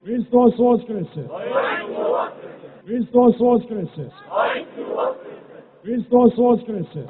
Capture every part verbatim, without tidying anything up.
Hristos Voskrese! Hristos Voskrese! Hristos Voskrese!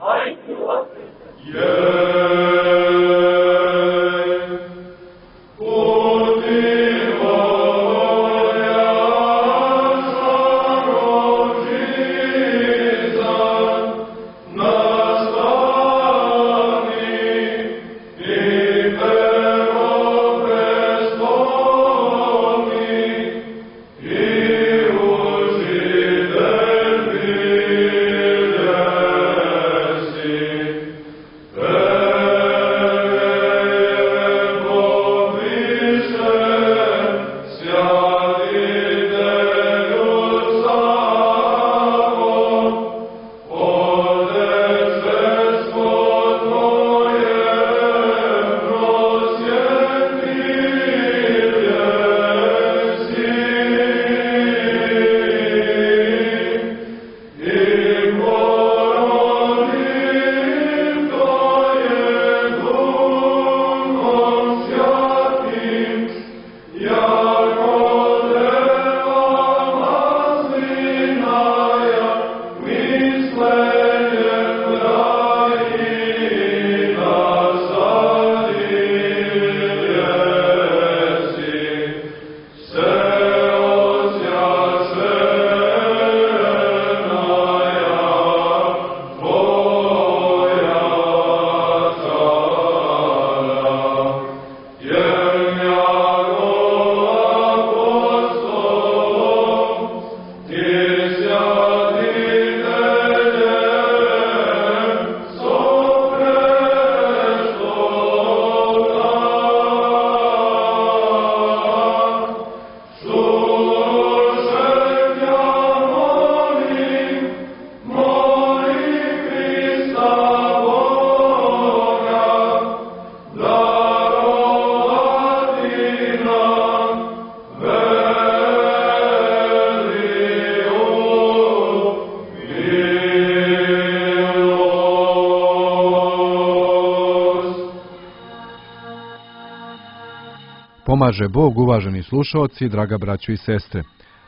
Pomaže Bog, uvaženi slušaoci, draga braćo i sestre.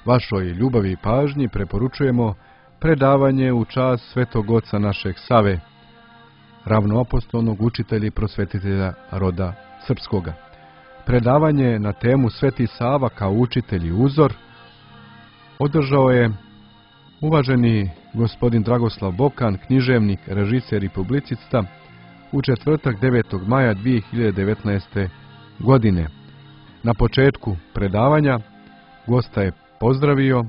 Vašoj ljubavi i pažnji preporučujemo predavanje u čast svetog oca našeg Save, ravnoapostolnog učitelja i prosvetitelja roda srpskoga. Predavanje na temu Sveti Sava kao učitelj i uzor održao je uvaženi gospodin Dragoslav Bokan, književnik, režiser i publicista, u četvrtak devetog maja dvije hiljade devetnaeste. godine. Na početku predavanja gosta je pozdravio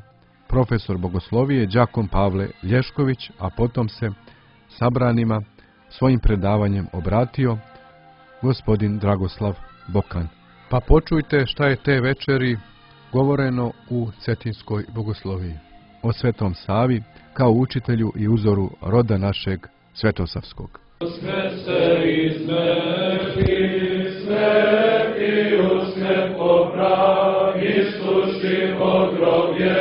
profesor bogoslovije đakon Pavle Lješković, a potom se sabranima svojim predavanjem obratio gospodin Dragoslav Bokan. Pa počujte šta je te večeri govoreno u Cetinskoj bogosloviji o Svetom Savi kao učitelju i uzoru roda našeg Svetosavskog. Uskrsce iz mrtvih, sveti uskrs poprav, istuši pogrobje,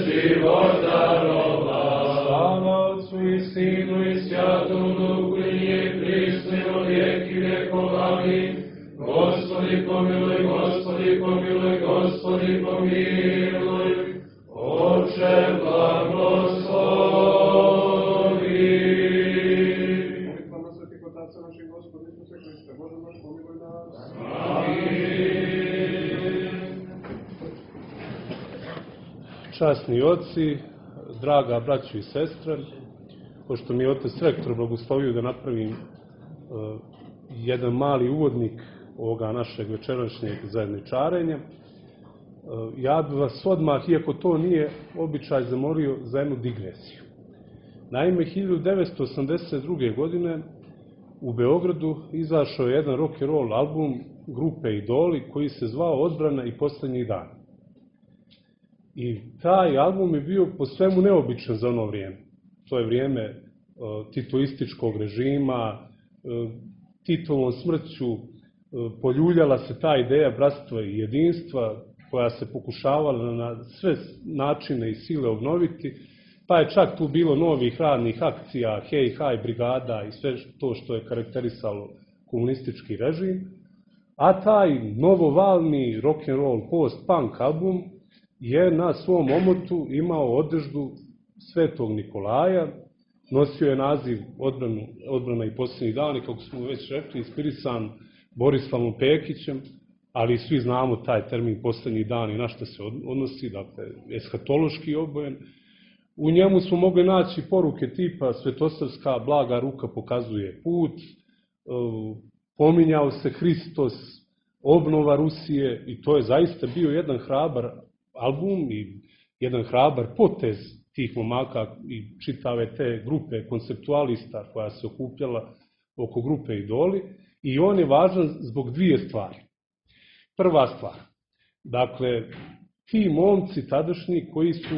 život darova. Slava Otcu i Sinu i Svatom Duhu i je prisno vijeki vjekovali. Gospodi pomiluj, Gospodi pomiluj, Gospodi pomiluj, Oče blagoslovi. Časni oci, draga braćo i sestre, pošto mi je otac rektor blagoslovio da napravim uh, jedan mali uvodnik ovoga našeg večerašnjeg zajedničarenja, uh, ja bih vas odmah, iako to nije običaj, zamolio za jednu digresiju. Naime, hiljadu devetsto osamdeset druge. godine u Beogradu izašao je jedan rock and roll album grupe Idoli koji se zvao Odbrana i posljednji dan. I taj album je bio po svemu neobičan za ono vrijeme. To je vrijeme uh, titoističkog režima, uh, Titovom smrću uh, poljuljala se ta ideja bratstva i jedinstva koja se pokušavala na sve načine i sile obnoviti, pa je čak tu bilo novih radnih akcija, hej, haj, brigada i sve to što je karakterisalo komunistički režim. A taj novovalni rock'n'roll post-punk album je na svom omotu imao odeždu Svetog Nikolaja, nosio je naziv Odbranu, Odbrana i posljednji dani, kako smo već rekli, inspirisan Borislavom Pekićem, ali svi znamo taj termin posljednji dan i na što se odnosi, dakle, eshatološki obojen. U njemu smo mogli naći poruke tipa Svetosavska blaga ruka pokazuje put, pominjao se Hristos, obnova Rusije, i to je zaista bio jedan hrabar album i jedan hrabar potez tih momaka i čitave te grupe konceptualista koja se okupljala oko grupe Idoli, i on je važan zbog dvije stvari. Prva stvar, dakle, ti momci tadašnji koji su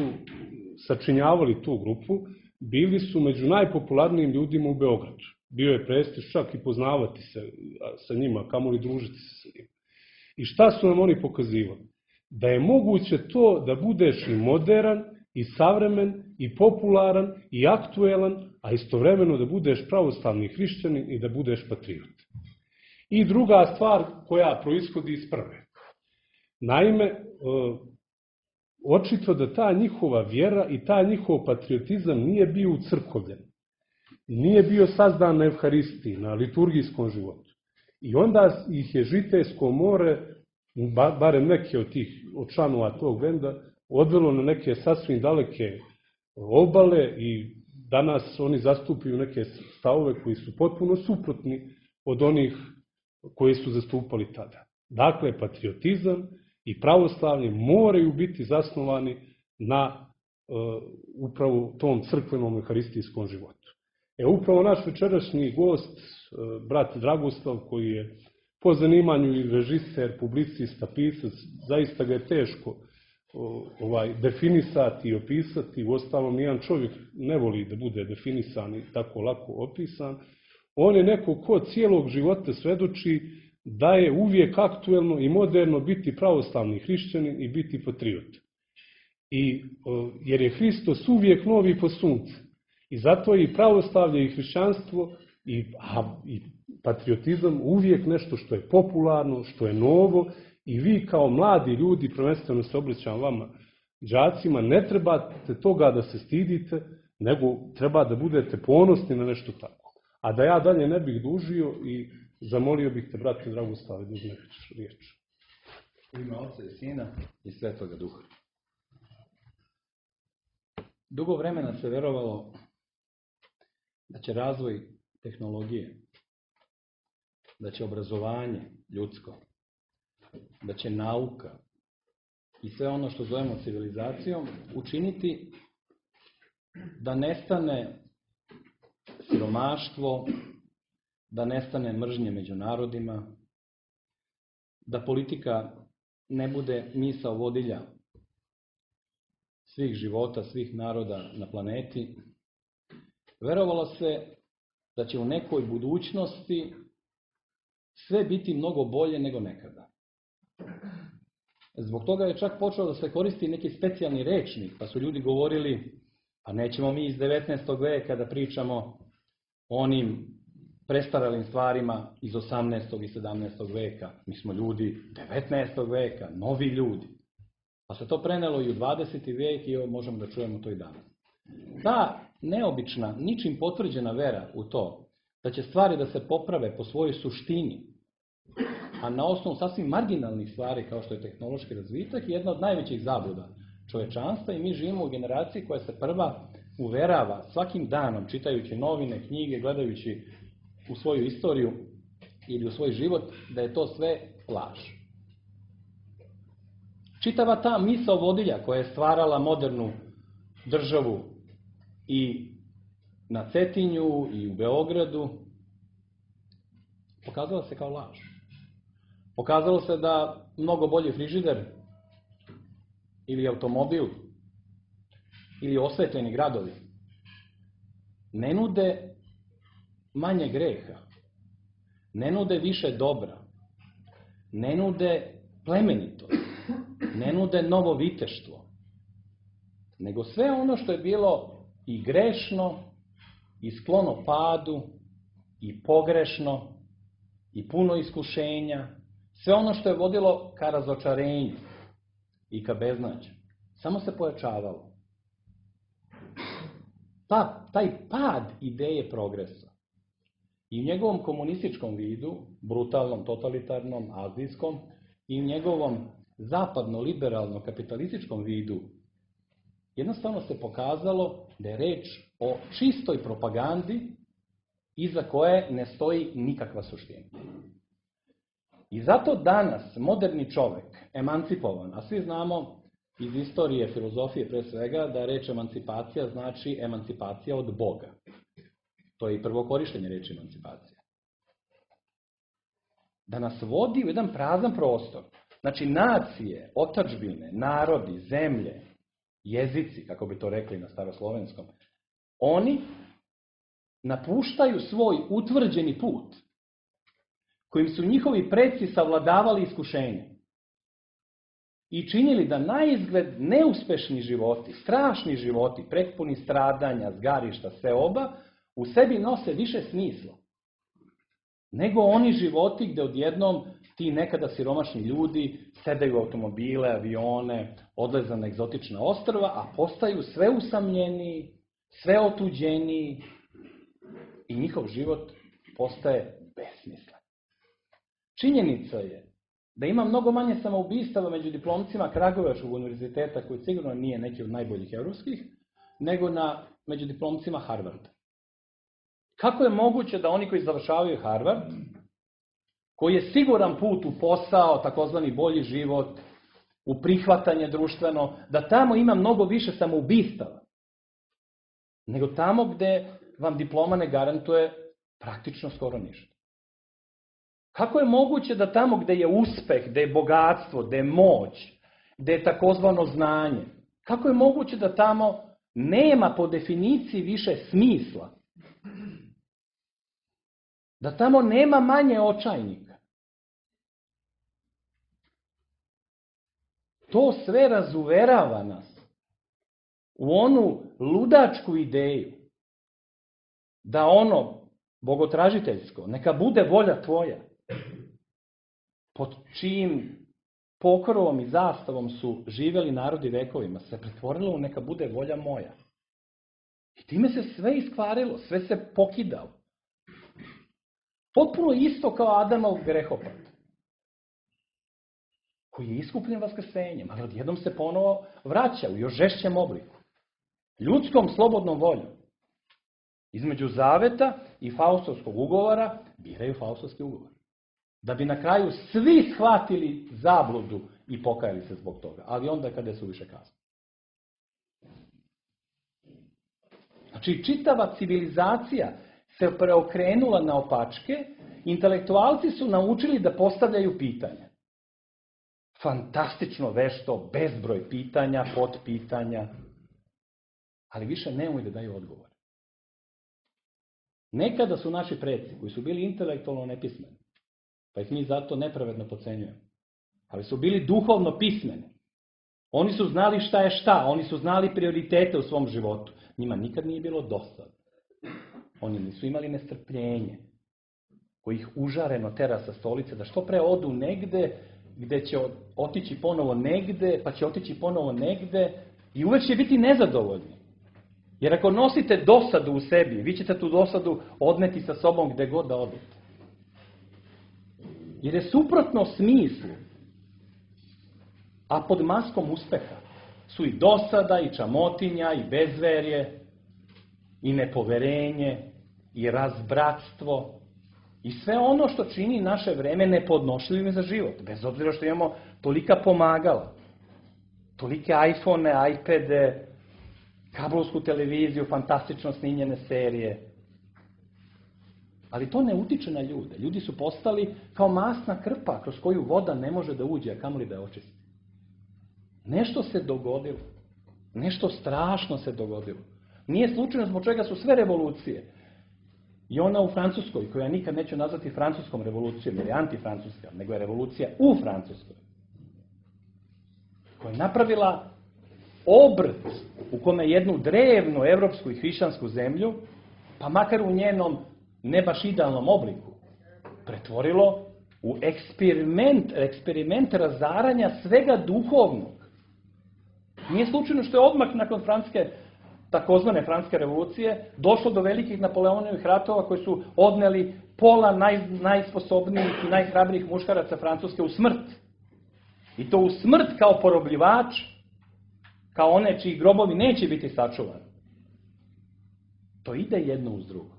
sačinjavali tu grupu, bili su među najpopularnijim ljudima u Beogradu. Bio je prestiž čak i poznavati se sa njima, kamoli družiti se sa njima. I šta su nam oni pokazivali? Da je moguće to da budeš i moderan, i savremen, i popularan, i aktuelan, a istovremeno da budeš pravoslavni hrišćanin i da budeš patriot. I druga stvar koja proishodi iz prve. Naime, očito da ta njihova vjera i ta njihov patriotizam nije bio ucrkovljen. Nije bio sazdan na Evharistiji, na liturgijskom životu. I onda ih je Žitejsko more, barem neke od tih od članova tog benda, odvelo na neke sasvim daleke obale i danas oni zastupaju neke stavove koji su potpuno suprotni od onih koji su zastupali tada. Dakle, patriotizam i pravoslavlje moraju biti zasnovani na uh, upravo tom crkvenom euharistijskom životu. E, upravo naš večerašnji gost, uh, brat Dragoslav, koji je po zanimanju i režiser, publicista, pisac, zaista ga je teško uh, ovaj, definisati i opisati, uostalom nijedan čovjek ne voli da bude definisan i tako lako opisan. On je neko ko cijelog života svedoči da je uvijek aktuelno i moderno biti pravoslavni hrišćanin i biti patriot. I, jer je Hristos uvijek novi po suncu. I zato je i pravoslavlje i hrišćanstvo i, a, i patriotizam uvijek nešto što je popularno, što je novo, i vi kao mladi ljudi, prvenstveno se obraćam vama, đacima, ne trebate toga da se stidite, nego treba da budete ponosni na nešto tako. A da ja dalje ne bih dužio i zamolio bih te, brate Dragoslave, da uzmeš riječ. U ime Oca i Sina i Svetoga Duha. Dugo vremena se verovalo da će razvoj tehnologije, da će obrazovanje ljudsko, da će nauka i sve ono što zovemo civilizacijom učiniti da nestane siromaštvo, da nestane mržnje među narodima, da politika ne bude misao vodilja svih života, svih naroda na planeti. Verovalo se da će u nekoj budućnosti sve biti mnogo bolje nego nekada. Zbog toga je čak počeo da se koristi neki specijalni rečnik, pa su ljudi govorili, pa nećemo mi iz devetnaestog veka da pričamo o onim prestaralim stvarima iz osamnaestog i sedamnaestog veka. Mi smo ljudi devetnaestog veka, novi ljudi. Pa se to prenelo i u dvadeseti vek i možemo da čujemo to i danas. Ta neobična, ničim potvrđena vera u to da će stvari da se poprave po svojoj suštini, a na osnovu sasvim marginalnih stvari kao što je tehnološki razvitak, je jedna od najvećih zabluda čovečanstva, i mi živimo u generaciji koja se prva uverava svakim danom, čitajući novine, knjige, gledajući u svoju istoriju ili u svoj život, da je to sve laž. Čitava ta misao vodilja koja je stvarala modernu državu i na Cetinju i u Beogradu, pokazala se kao laž. Pokazalo se da mnogo bolji frižider ili automobil ili osvetljeni gradovi ne nude manje greha, ne nude više dobra, ne nude plemenitost, ne nude novo viteštvo, nego sve ono što je bilo i grešno, i sklono padu, i pogrešno, i puno iskušenja, Sve ono što je vodilo ka razočarenju i ka beznađu, samo se pojačavalo. Pa, taj pad ideje progresa i u njegovom komunističkom vidu, brutalnom, totalitarnom, azijskom, i u njegovom zapadno-liberalno-kapitalističkom vidu, jednostavno se pokazalo da je reč o čistoj propagandi iza koje ne stoji nikakva suština. I zato danas moderni čovjek, emancipovan, a svi znamo iz istorije, filozofije pre svega, da reč emancipacija znači emancipacija od Boga. To je i prvo korištenje reči emancipacija. Da nas vodi u jedan prazan prostor. Znači nacije, otadžbine, narodi, zemlje, jezici, kako bi to rekli na staroslovenskom, oni napuštaju svoj utvrđeni put kojim su njihovi preci savladavali iskušenje i činili da naizgled neuspešni životi, strašni životi, prepuni stradanja, zgarišta, seoba, u sebi nose više smisla nego oni životi gde odjednom ti nekada siromašni ljudi sedaju u automobile, avione, odlaze na egzotična ostrva, a postaju sve usamljeniji, sve otuđeniji i njihov život postaje besmislen. Činjenica je da ima mnogo manje samoubistava među diplomcima Kragujevačkog univerziteta, koji sigurno nije neki od najboljih evropskih, nego na, među diplomcima Harvarda. Kako je moguće da oni koji završavaju Harvard, koji je siguran put u posao, takozvani bolji život, u prihvatanje društveno, da tamo ima mnogo više samoubistava, nego tamo gde vam diploma ne garantuje praktično skoro ništa. Kako je moguće da tamo gde je uspeh, gde je bogatstvo, gde je moć, gde je takozvano znanje, kako je moguće da tamo nema po definiciji više smisla? Da tamo nema manje očajnika? To sve razuverava nas u onu ludačku ideju da ono bogotražiteljsko, neka bude volja tvoja, pod čijim pokrovom i zastavom su živeli narodi vekovima, se pretvorilo u neka bude volja moja. I time se sve iskvarilo, sve se pokidalo. Potpuno isto kao Adamov grehopad, koji je iskupljen vaskrsenjem, ali odjednom se ponovo vraća u još žešćem obliku. Ljudskom slobodnom voljom. Između zaveta i Faustovskog ugovora biraju Faustovski ugovor. Da bi na kraju svi shvatili zabludu i pokajali se zbog toga. Ali onda kada su više kasno. Znači, čitava civilizacija se preokrenula na opačke, intelektualci su naučili da postavljaju pitanja. Fantastično vešto, bezbroj pitanja, potpitanja, ali više ne umeju da daju odgovor. Nekada su naši preci, koji su bili intelektualno nepismeni, pa ih mi zato nepravedno pocenjujemo, ali su bili duhovno pismeni. Oni su znali šta je šta, oni su znali prioritete u svom životu. Njima nikad nije bilo dosadno. Oni nisu imali nestrpljenje, koji ih užareno tera sa stolice, da što pre odu negde, gde će otići ponovo negde, pa će otići ponovo negde i uvek će biti nezadovoljni. Jer ako nosite dosadu u sebi, vi ćete tu dosadu odneti sa sobom gde god da odete. Jer je suprotno smislu, a pod maskom uspeha su i dosada, i čamotinja, i bezverje, i nepoverenje, i razbratstvo, i sve ono što čini naše vreme nepodnošljivim za život, bez obzira što imamo tolika pomagala, tolike iPhone, iPade, kablovsku televiziju, fantastično snimljene serije. Ali to ne utiče na ljude. Ljudi su postali kao masna krpa kroz koju voda ne može da uđe, a kamoli da je očisti. Nešto se dogodilo. Nešto strašno se dogodilo. Nije slučajno zbog čega su sve revolucije. I ona u Francuskoj, koju ja nikad neću nazvati francuskom revolucijom, jer je antifrancuska, nego je revolucija u Francuskoj, koja je napravila obrt u kome jednu drevnu evropsku i hrišćansku zemlju, pa makar u njenom ne baš idealnom obliku, pretvorilo u eksperiment, eksperiment razaranja svega duhovnog. Nije slučajno što je odmah nakon francuske, takozvane francuske revolucije, došlo do velikih Napoleonovih ratova koji su odneli pola naj, najsposobnijih i najhrabrijih muškaraca Francuske u smrt. I to u smrt kao porobljivač, kao one čiji grobovi neće biti sačuvani. To ide jedno uz drugo.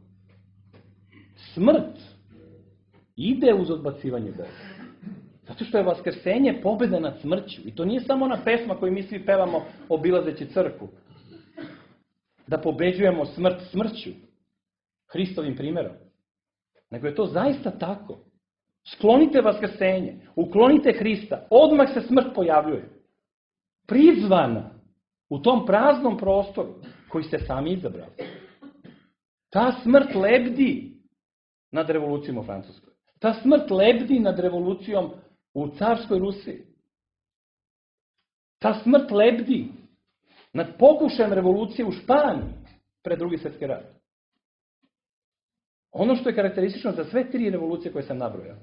Smrt ide uz odbacivanje Boga. Zato što je vaskrsenje pobjeda nad smrću. I to nije samo ona pesma koju mi svi pevamo obilazeći crkvu. Da pobeđujemo smrt smrću. Hristovim primjerom. Nego je to zaista tako. Sklonite vaskrsenje. Uklonite Hrista. Odmah se smrt pojavljuje. Prizvana u tom praznom prostoru koji ste sami izabrali. Ta smrt lebdi nad revolucijom u Francuskoj. Ta smrt lebdi nad revolucijom u carskoj Rusiji. Ta smrt lebdi nad pokušajem revolucije u Španiji pred drugi svjetski rat. Ono što je karakteristično za sve tri revolucije koje sam nabrojao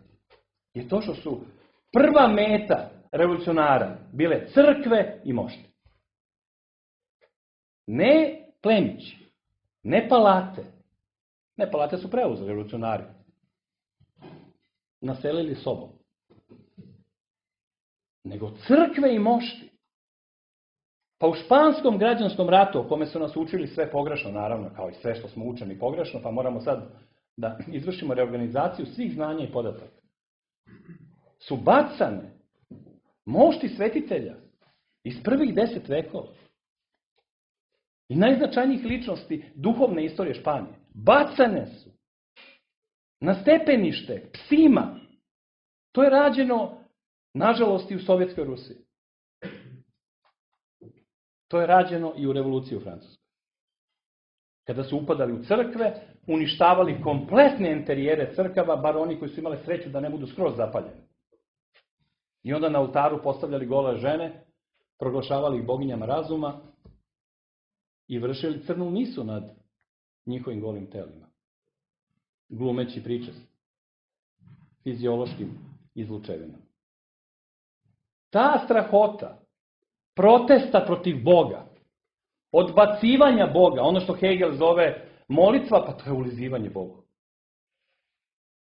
je to što su prva meta revolucionara bile crkve i mošti. Ne plemići, ne palate. Ne, palate su preuzeli revolucionari. Naselili sobom. Nego crkve i mošti. Pa u španskom građanskom ratu, o kome su nas učili sve pogrešno, naravno, kao i sve što smo učeni pogrešno, pa moramo sad da izvršimo reorganizaciju svih znanja i podataka. Su bacane mošti svetitelja iz prvih deset vekova. I najznačajnijih ličnosti duhovne istorije Španije. Bacane su na stepenište psima. To je rađeno, nažalost, i u Sovjetskoj Rusiji. To je rađeno i u revoluciji u Francuskoj. Kada su upadali u crkve, uništavali kompletne interijere crkava, bar oni koji su imali sreću da ne budu skroz zapaljeni. I onda na oltaru postavljali gole žene, proglašavali ih boginjama razuma i vršili crnu misu nad njihovim golim telima. Glumeći pričest. Fiziološkim izlučevinama. Ta strahota protesta protiv Boga, odbacivanja Boga, ono što Hegel zove molitva, pa to je ulizivanje Bogu.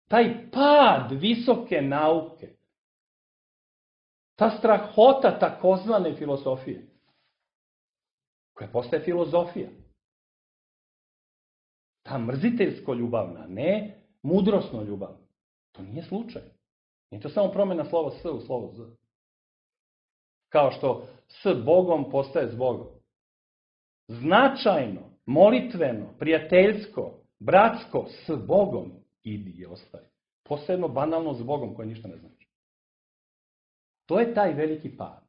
Taj pad visoke nauke, ta strahota takozvane filosofije, koja postaje filozofija, ta mrziteljsko ljubavna, ne mudrosno ljubavna, to nije slučaj. Nije to samo promjena slova S u slovo Z. Kao što s Bogom postaje s Bogom. Značajno, molitveno, prijateljsko, bratsko, s Bogom idi i ostaje. Posebno banalno s Bogom koje ništa ne znači. To je taj veliki pad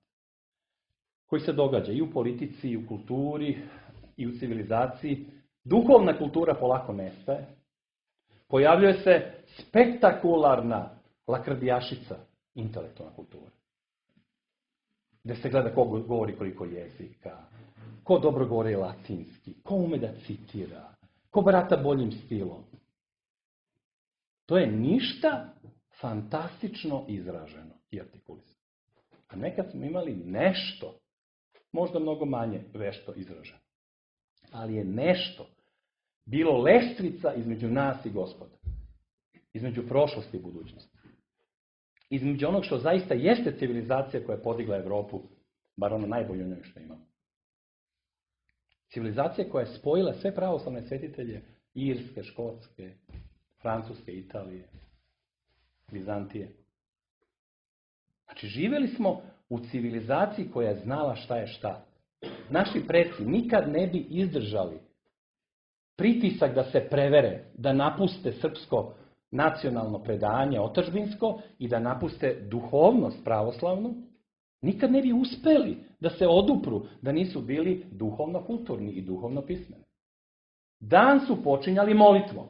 koji se događa i u politici, i u kulturi, i u civilizaciji. Duhovna kultura polako nestaje. Pojavljuje se spektakularna lakrdijašica, intelektualna kultura. Gdje se gleda ko govori koliko jezika, ko dobro govori latinski, ko ume da citira, ko barata boljim stilom. To je ništa fantastično izraženo i artikulisano. A nekad smo imali nešto, možda mnogo manje vešto izraženo. Ali je nešto bilo lestvica između nas i Gospoda. Između prošlosti i budućnosti. Između onog što zaista jeste civilizacija koja je podigla Evropu, bar ono najbolje u njoj što imamo. Civilizacija koja je spojila sve pravoslavne svetitelje, Irske, Škotske, Francuske, Italije, Vizantije. Znači, živjeli smo u civilizaciji koja je znala šta je šta. Naši preci nikad ne bi izdržali pritisak da se prevere, da napuste srpsko nacionalno predanje otadžbinsko i da napuste duhovnost pravoslavnu, nikad ne bi uspeli da se odupru, da nisu bili duhovno kulturni i duhovno pismeni. Dan su počinjali molitvom.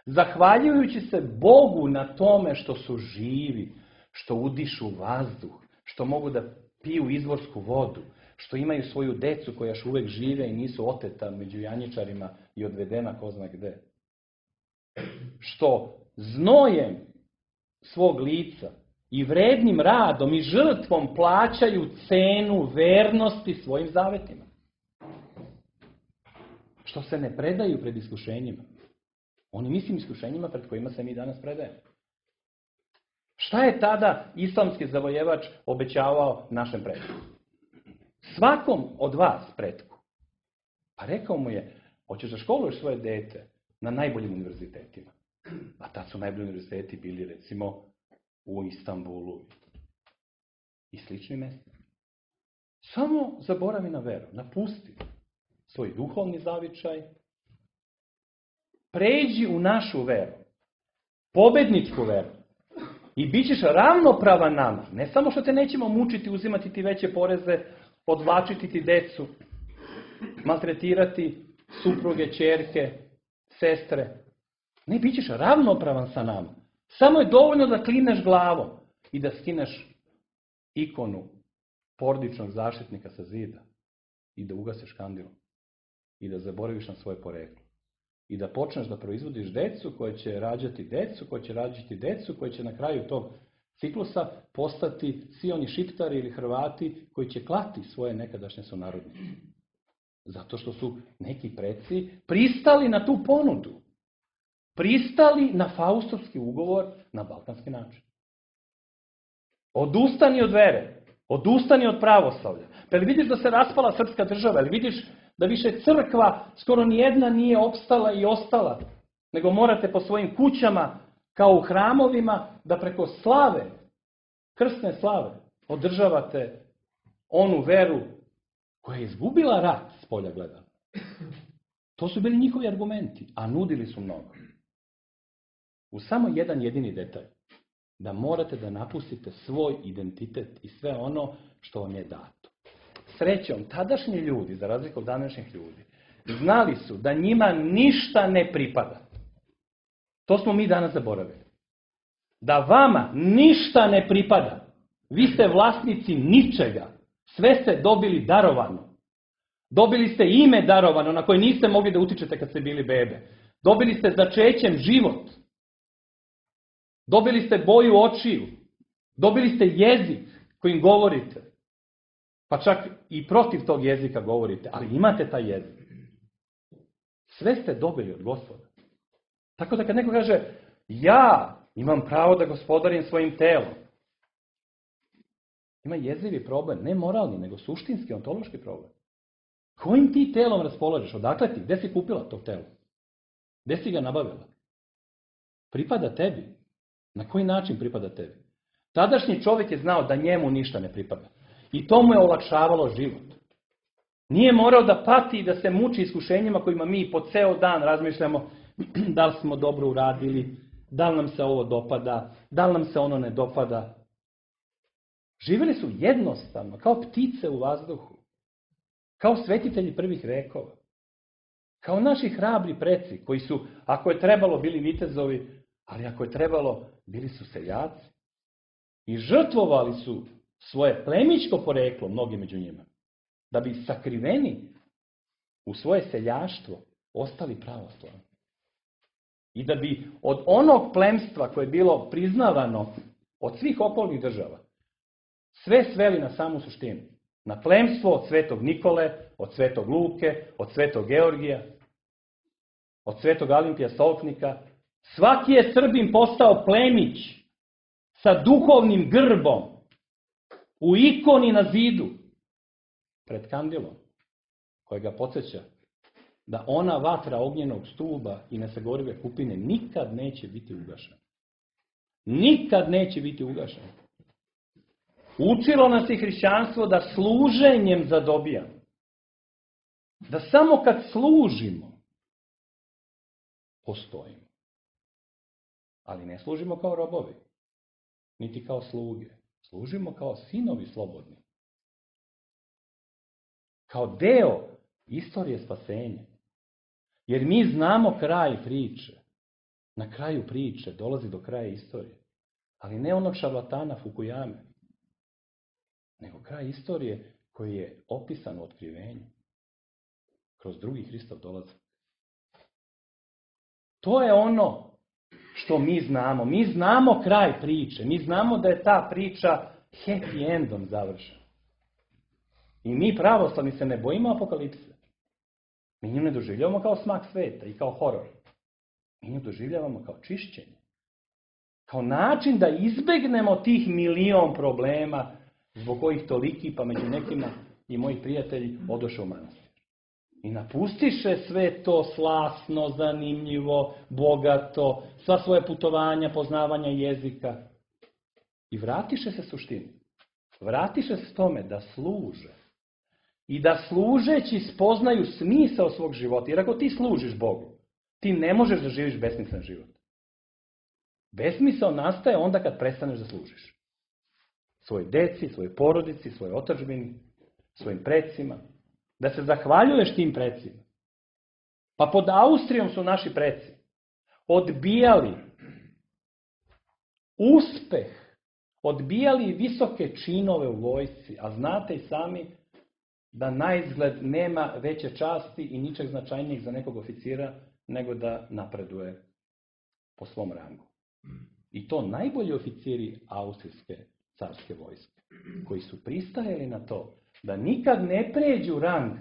Zahvaljujući se Bogu na tome što su živi, što udišu vazduh, što mogu da piju izvorsku vodu, što imaju svoju decu koja još uvek žive i nisu oteta među janjičarima i odvedena ko zna gde. Što znojem svog lica i vrednim radom i žrtvom plaćaju cenu vernosti svojim zavetima. Što se ne predaju pred iskušenjima. Onim istim iskušenjima pred kojima se mi danas predajemo. Šta je tada islamski zavojevač obećavao našem pretku? Svakom od vas pretku. Pa rekao mu je, hoćeš da školuješ svoje dete na najboljim univerzitetima. A tad su najbolji univerziteti bili recimo u Istanbulu i sličnim mjestima. Samo zaboravi na veru, napusti svoj duhovni zavičaj, pređi u našu veru, pobedničku veru i bit ćeš ravnopravan nama. Ne samo što te nećemo mučiti, uzimati ti veće poreze, odvlačiti ti decu, maltretirati supruge, ćerke, sestre. Ne, bit ćeš ravnopravan sa nama. Samo je dovoljno da klimneš glavom i da skineš ikonu porodičnog zaštitnika sa zida i da ugasiš kandilom i da zaboraviš na svoje poreklo. I da počneš da proizvodiš decu koje će rađati decu, koje će rađati decu, koje će na kraju tog ciklusa postati svi oni Šiptari ili Hrvati koji će klati svoje nekadašnje sunarodnike. Zato što su neki preci pristali na tu ponudu. Pristali na faustovski ugovor na balkanski način. Odustani od vere. Odustani od pravoslavlja. Pa li vidiš da se raspala srpska država? Ili vidiš da više crkva skoro nijedna nije opstala i ostala? Nego morate po svojim kućama, kao u hramovima, da preko slave, krstne slave, održavate onu veru koja je izgubila rat s polja gledano. To su bili njihovi argumenti, a nudili su mnogo. U samo jedan jedini detalj. Da morate da napustite svoj identitet i sve ono što vam je dato. Srećom, tadašnji ljudi, za razliku od današnjih ljudi, znali su da njima ništa ne pripada. To smo mi danas zaboravili. Da vama ništa ne pripada. Vi ste vlasnici ničega. Sve ste dobili darovano. Dobili ste ime darovano na koje niste mogli da utičete kad ste bili bebe. Dobili ste začećem život. Dobili ste boju očiju. Dobili ste jezik kojim govorite. Pa čak i protiv tog jezika govorite, ali imate taj jezik. Sve ste dobili od Gospoda. Tako da kad neko kaže, ja imam pravo da gospodarim svojim telom. Ima jezivi problem, ne moralni, nego suštinski, ontološki problem. Kojim ti telom raspolažeš? Odakle ti? Gde si kupila to telo? Gde si ga nabavila? Pripada tebi. Na koji način pripada tebi? Tadašnji čovjek je znao da njemu ništa ne pripada. I to mu je olakšavalo život. Nije morao da pati i da se muči iskušenjima kojima mi po ceo dan razmišljamo da li smo dobro uradili, da li nam se ovo dopada, da li nam se ono ne dopada. Živjeli su jednostavno, kao ptice u vazduhu. Kao svetitelji prvih vekova. Kao naši hrabri preci koji su, ako je trebalo, bili vitezovi, ali ako je trebalo, bili su seljaci. I žrtvovali su svoje plemićko poreklo, mnogi među njima, da bi sakriveni u svoje seljaštvo ostali pravoslavni. I da bi od onog plemstva koje je bilo priznavano od svih okolnih država, sve sveli na samu suštinu. Na plemstvo od svetog Nikole, od svetog Luke, od svetog Georgija, od svetog Alimpija Solknika. Svaki je Srbin postao plemić sa duhovnim grbom u ikoni na zidu pred kandilom, koja ga podsjeća da ona vatra ognjenog stuba i nesagorive kupine nikad neće biti ugašena. Nikad neće biti ugašena. Učilo nas i hrišćanstvo da služenjem zadobijamo. Da samo kad služimo, postojimo. Ali ne služimo kao robovi, niti kao sluge. Služimo kao sinovi slobodni. Kao deo istorije spasenja. Jer mi znamo kraj priče. Na kraju priče dolazi do kraja istorije. Ali ne onog šarlatana Fukuyame, nego kraj istorije koji je opisan u otkrivenju. Kroz drugi Hristov dolazak. To je ono što mi znamo. Mi znamo kraj priče. Mi znamo da je ta priča happy endom završena. I mi pravoslavni se ne bojimo apokalipse. Mi nju ne doživljavamo kao smak sveta i kao horor. Mi nju doživljavamo kao čišćenje. Kao način da izbegnemo tih milion problema zbog kojih toliki, pa među nekima i moji prijatelji, odoše u manastir. I napustiše sve to slasno, zanimljivo, bogato, sva svoje putovanja, poznavanja jezika. I vratiše se suštini. Vratiše se tome da služe. I da služeći spoznaju smisao svog života. Jer ako ti služiš Bogu, ti ne možeš da živiš besmislen život. Besmisao nastaje onda kad prestaneš da služiš. Svojoj deci, svojoj porodici, svojoj otadžbini, svojim precima. Da se zahvaljuješ tim precima. Pa pod Austrijom su naši preci odbijali uspeh, odbijali visoke činove u vojsci, a znate i sami da naizgled nema veće časti i ničeg značajnijeg za nekog oficira nego da napreduje po svom rangu. I to najbolji oficiri austrijske carske vojske, koji su pristajali na to da nikad ne pređu rang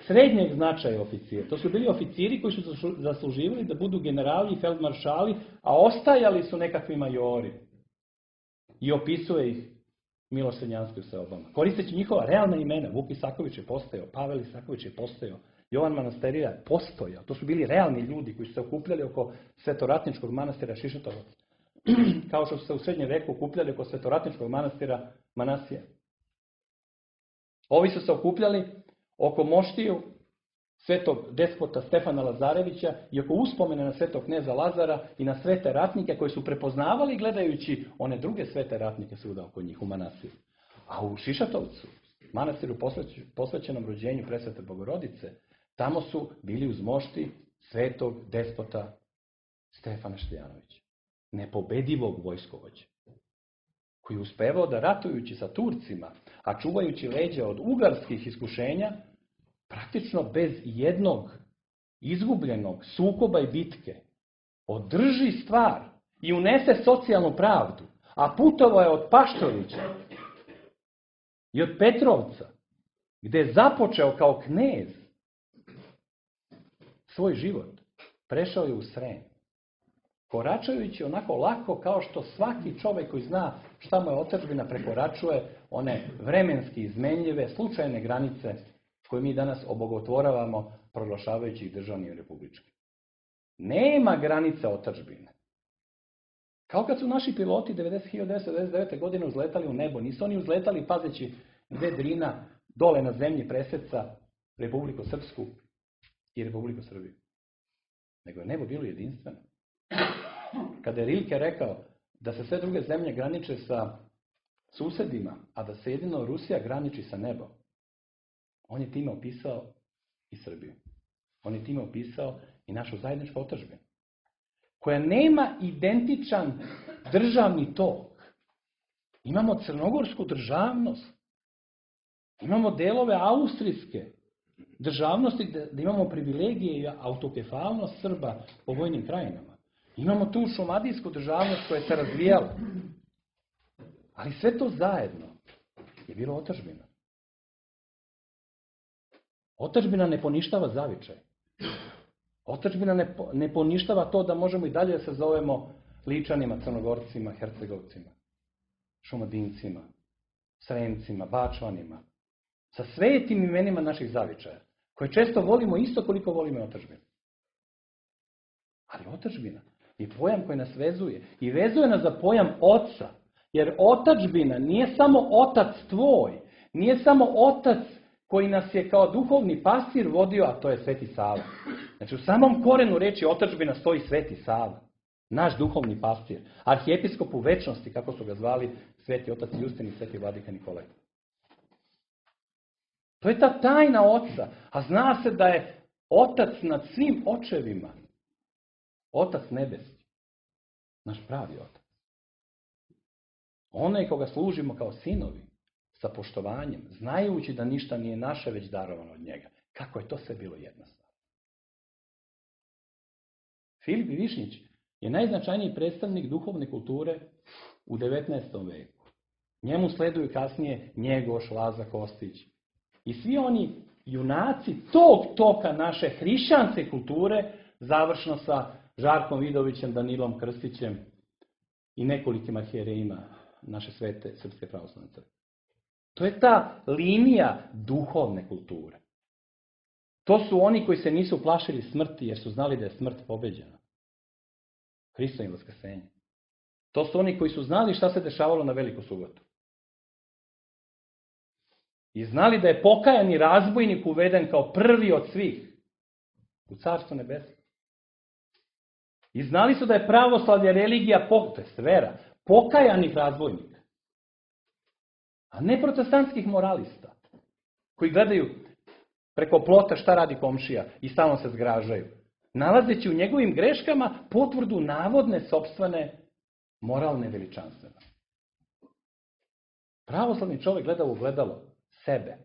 srednjeg značaja oficira. To su bili oficiri koji su zasluživali da budu generali i feldmaršali, a ostajali su nekakvi majori. I opisuje ih Miloš Crnjanski u seobama. Koristeći njihova realna imena, Vuk Isaković je postojao, Pavel Isaković je postojao, Jovan Manasterija je postojao. To su bili realni ljudi koji su se okupljali oko Svetoratničkog manastira Šišatovac. Kao što su se u srednjem veku okupljali oko Svetoratničkog manastira Manasija. Ovi su se okupljali oko moštiju svetog despota Stefana Lazarevića i oko uspomene na svetog kneza Lazara i na svete ratnike koji su prepoznavali gledajući one druge svete ratnike svuda oko njih u Manasiru. A u Šišatovcu, manastiru posvećenom rođenju presvete Bogorodice, tamo su bili uz mošti svetog despota Stefana Štiljanovića, nepobedivog vojskovođa, koji je uspevao da ratujući sa Turcima, a čuvajući leđa od ugarskih iskušenja, praktično bez jednog izgubljenog sukoba i bitke, održi stvar i unese socijalnu pravdu, a putovao je od Paštovića i od Petrovca, gde je započeo kao knez svoj život, prešao je u Srem, koračajući onako lako kao što svaki čovjek koji zna šta mu je otadžbina prekoračuje one vremenski izmenljive, slučajne granice koje mi danas obogotvoravamo proglašavajući ih državnim i republičkim. Nema granica otadžbine. Kao kad su naši piloti hiljadu devetsto devedeset devete. godine uzletali u nebo. Nisu oni uzletali pazeći gde Drina dole na zemlji preseca Republiku Srpsku i Republiku Srbiju. Nego je nebo bilo jedinstveno. Kada je Rilke rekao da se sve druge zemlje graniče sa susedima, a da se jedino Rusija graniči sa nebom, on je time opisao i Srbiju. On je time opisao i našu zajedničku otadžbinu, koja nema identičan državni tok. Imamo crnogorsku državnost. Imamo delove austrijske državnosti gde imamo privilegije i autokefalnost Srba po vojnim krajinama. Imamo tu šumadijsku državnost koja se razvijala. Ali sve to zajedno je bilo otadžbina. Otadžbina ne poništava zavičaj. Otadžbina ne, ne poništava to da možemo i dalje da se zovemo Ličanima, Crnogorcima, Hercegovcima, Šumadincima, Sremcima, Bačvanima, sa svetim imenima naših zavičaja, koje često volimo isto koliko volimo otadžbinu. Ali otadžbina je pojam koji nas vezuje. I vezuje nas za pojam oca. Jer otadžbina nije samo otac tvoj, nije samo otac koji nas je kao duhovni pastir vodio, a to je Sveti Sava. Znači u samom korenu reči otadžbina stoji Sveti Sava, naš duhovni pastir, arhijepiskop u večnosti, kako su ga zvali Sveti otac Justin i Sveti vladika Nikolaj. To je ta tajna oca, a zna se da je otac nad svim očevima, otac nebeski, naš pravi otac. Onaj koga služimo kao sinovi, sa poštovanjem, znajući da ništa nije naše, već darovano od njega. Kako je to sve bilo jednostavno. Filip i Višnjić je najznačajniji predstavnik duhovne kulture u devetnaestom veku. Njemu sleduju kasnije Njegoš, Laza Kostić. I svi oni junaci tog toka naše hrišćanske kulture, završno sa Žarkom Vidovićem, Danilom Krstićem i nekolikim arhijerejima naše svete Srpske pravoslavne crkve. To je ta linija duhovne kulture. To su oni koji se nisu plašili smrti jer su znali da je smrt pobeđena. Hristovim vaskrsenjem. To su oni koji su znali šta se dešavalo na Veliku subotu. I znali da je pokajani razbojnik uveden kao prvi od svih u Carstvo nebesko. I znali su da je pravoslavlje religija, to je vera, pokajanih razbojnika. A ne protestantskih moralista, koji gledaju preko plota šta radi komšija i stalno se zgražaju, nalazeći u njegovim greškama potvrdu navodne sopstvene moralne veličanstvenosti. Pravoslavni čovjek gleda u ogledalo sebe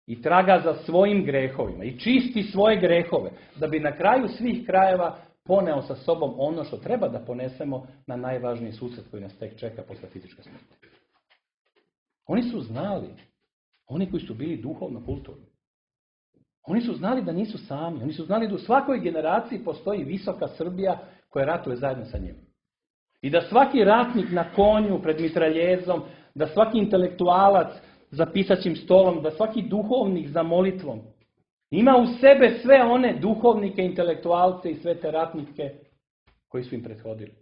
i traga za svojim grehovima i čisti svoje grehove, da bi na kraju svih krajeva poneo sa sobom ono što treba da ponesemo na najvažniji susret koji nas tek čeka posle fizičke smrti. Oni su znali, oni koji su bili duhovno kulturni, oni su znali da nisu sami, oni su znali da u svakoj generaciji postoji visoka Srbija koja ratuje zajedno sa njim. I da svaki ratnik na konju pred mitraljezom, da svaki intelektualac za pisaćim stolom, da svaki duhovnik za molitvom ima u sebe sve one duhovnike, intelektualce i sve te ratnike koji su im prethodili.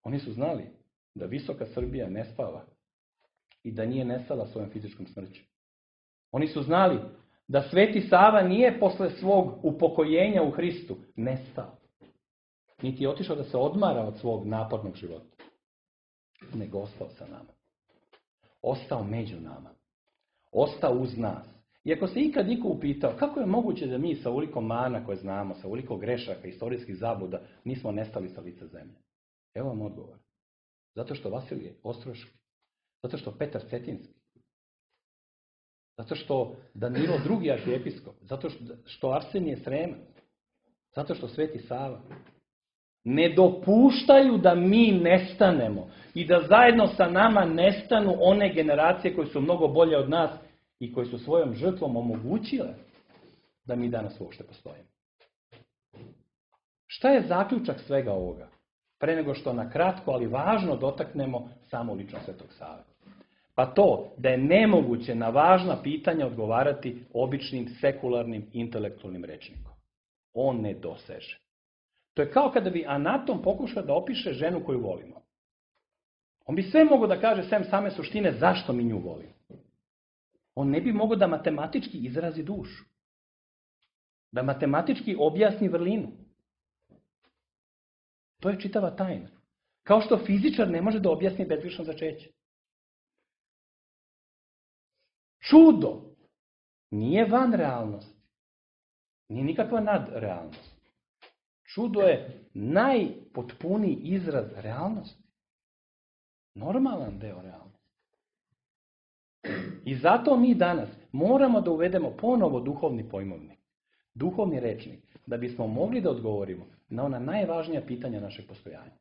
Oni su znali da visoka Srbija ne spava i da nije nestala svojom fizičkom smrću. Oni su znali da Sveti Sava nije posle svog upokojenja u Hristu nestao, niti je otišao da se odmara od svog napornog života, nego ostao sa nama. Ostao među nama. Ostao uz nas. I ako se ikad niko upitao kako je moguće da mi sa ovoliko mana koje znamo, sa ovoliko grešaka, istorijskih zabuda, nismo nestali sa lica zemlje. Evo vam odgovor. Zato što Vasilije Ostroški, zato što Petar Cetinski, zato što Danilo drugi arhijepiskop, zato što Arsenije Sremac, zato što Sveti Sava ne dopuštaju da mi nestanemo i da zajedno sa nama nestanu one generacije koje su mnogo bolje od nas i koje su svojom žrtvom omogućile da mi danas uopšte postojimo. Šta je zaključak svega ovoga? Pre nego što na kratko, ali važno dotaknemo samo ličnost Svetog Save. Pa to da je nemoguće na važna pitanja odgovarati običnim, sekularnim, intelektualnim rečnikom. On ne doseže. To je kao kada bi anatom pokušao da opiše ženu koju volimo. On bi sve mogao da kaže sem same suštine zašto mi nju volimo. On ne bi mogao da matematički izrazi dušu. Da matematički objasni vrlinu. To je čitava tajna. Kao što fizičar ne može da objasni bezgrešno začeće. Čudo nije van realnosti. Nije nikakva nadrealnost. Čudo je najpotpuniji izraz realnosti. Normalan deo realnosti. I zato mi danas moramo da uvedemo ponovo duhovni pojmovnik, duhovni rečnik, da bismo mogli da odgovorimo na ona najvažnija pitanja našeg postojanja.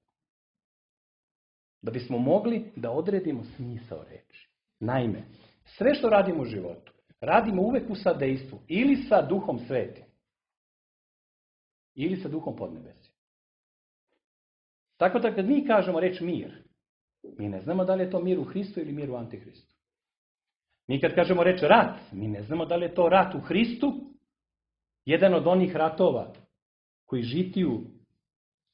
Da bismo mogli da odredimo smisao reči. Naime, sve što radimo u životu, radimo uvek u sadejstvu ili sa Duhom Svetim, ili sa Duhom podnebesja. Tako da kad mi kažemo reč mir, mi ne znamo da li je to mir u Hristu ili mir u Antihristu. Mi kad kažemo reč rat, mi ne znamo da li je to rat u Hristu, jedan od onih ratova koji žitiju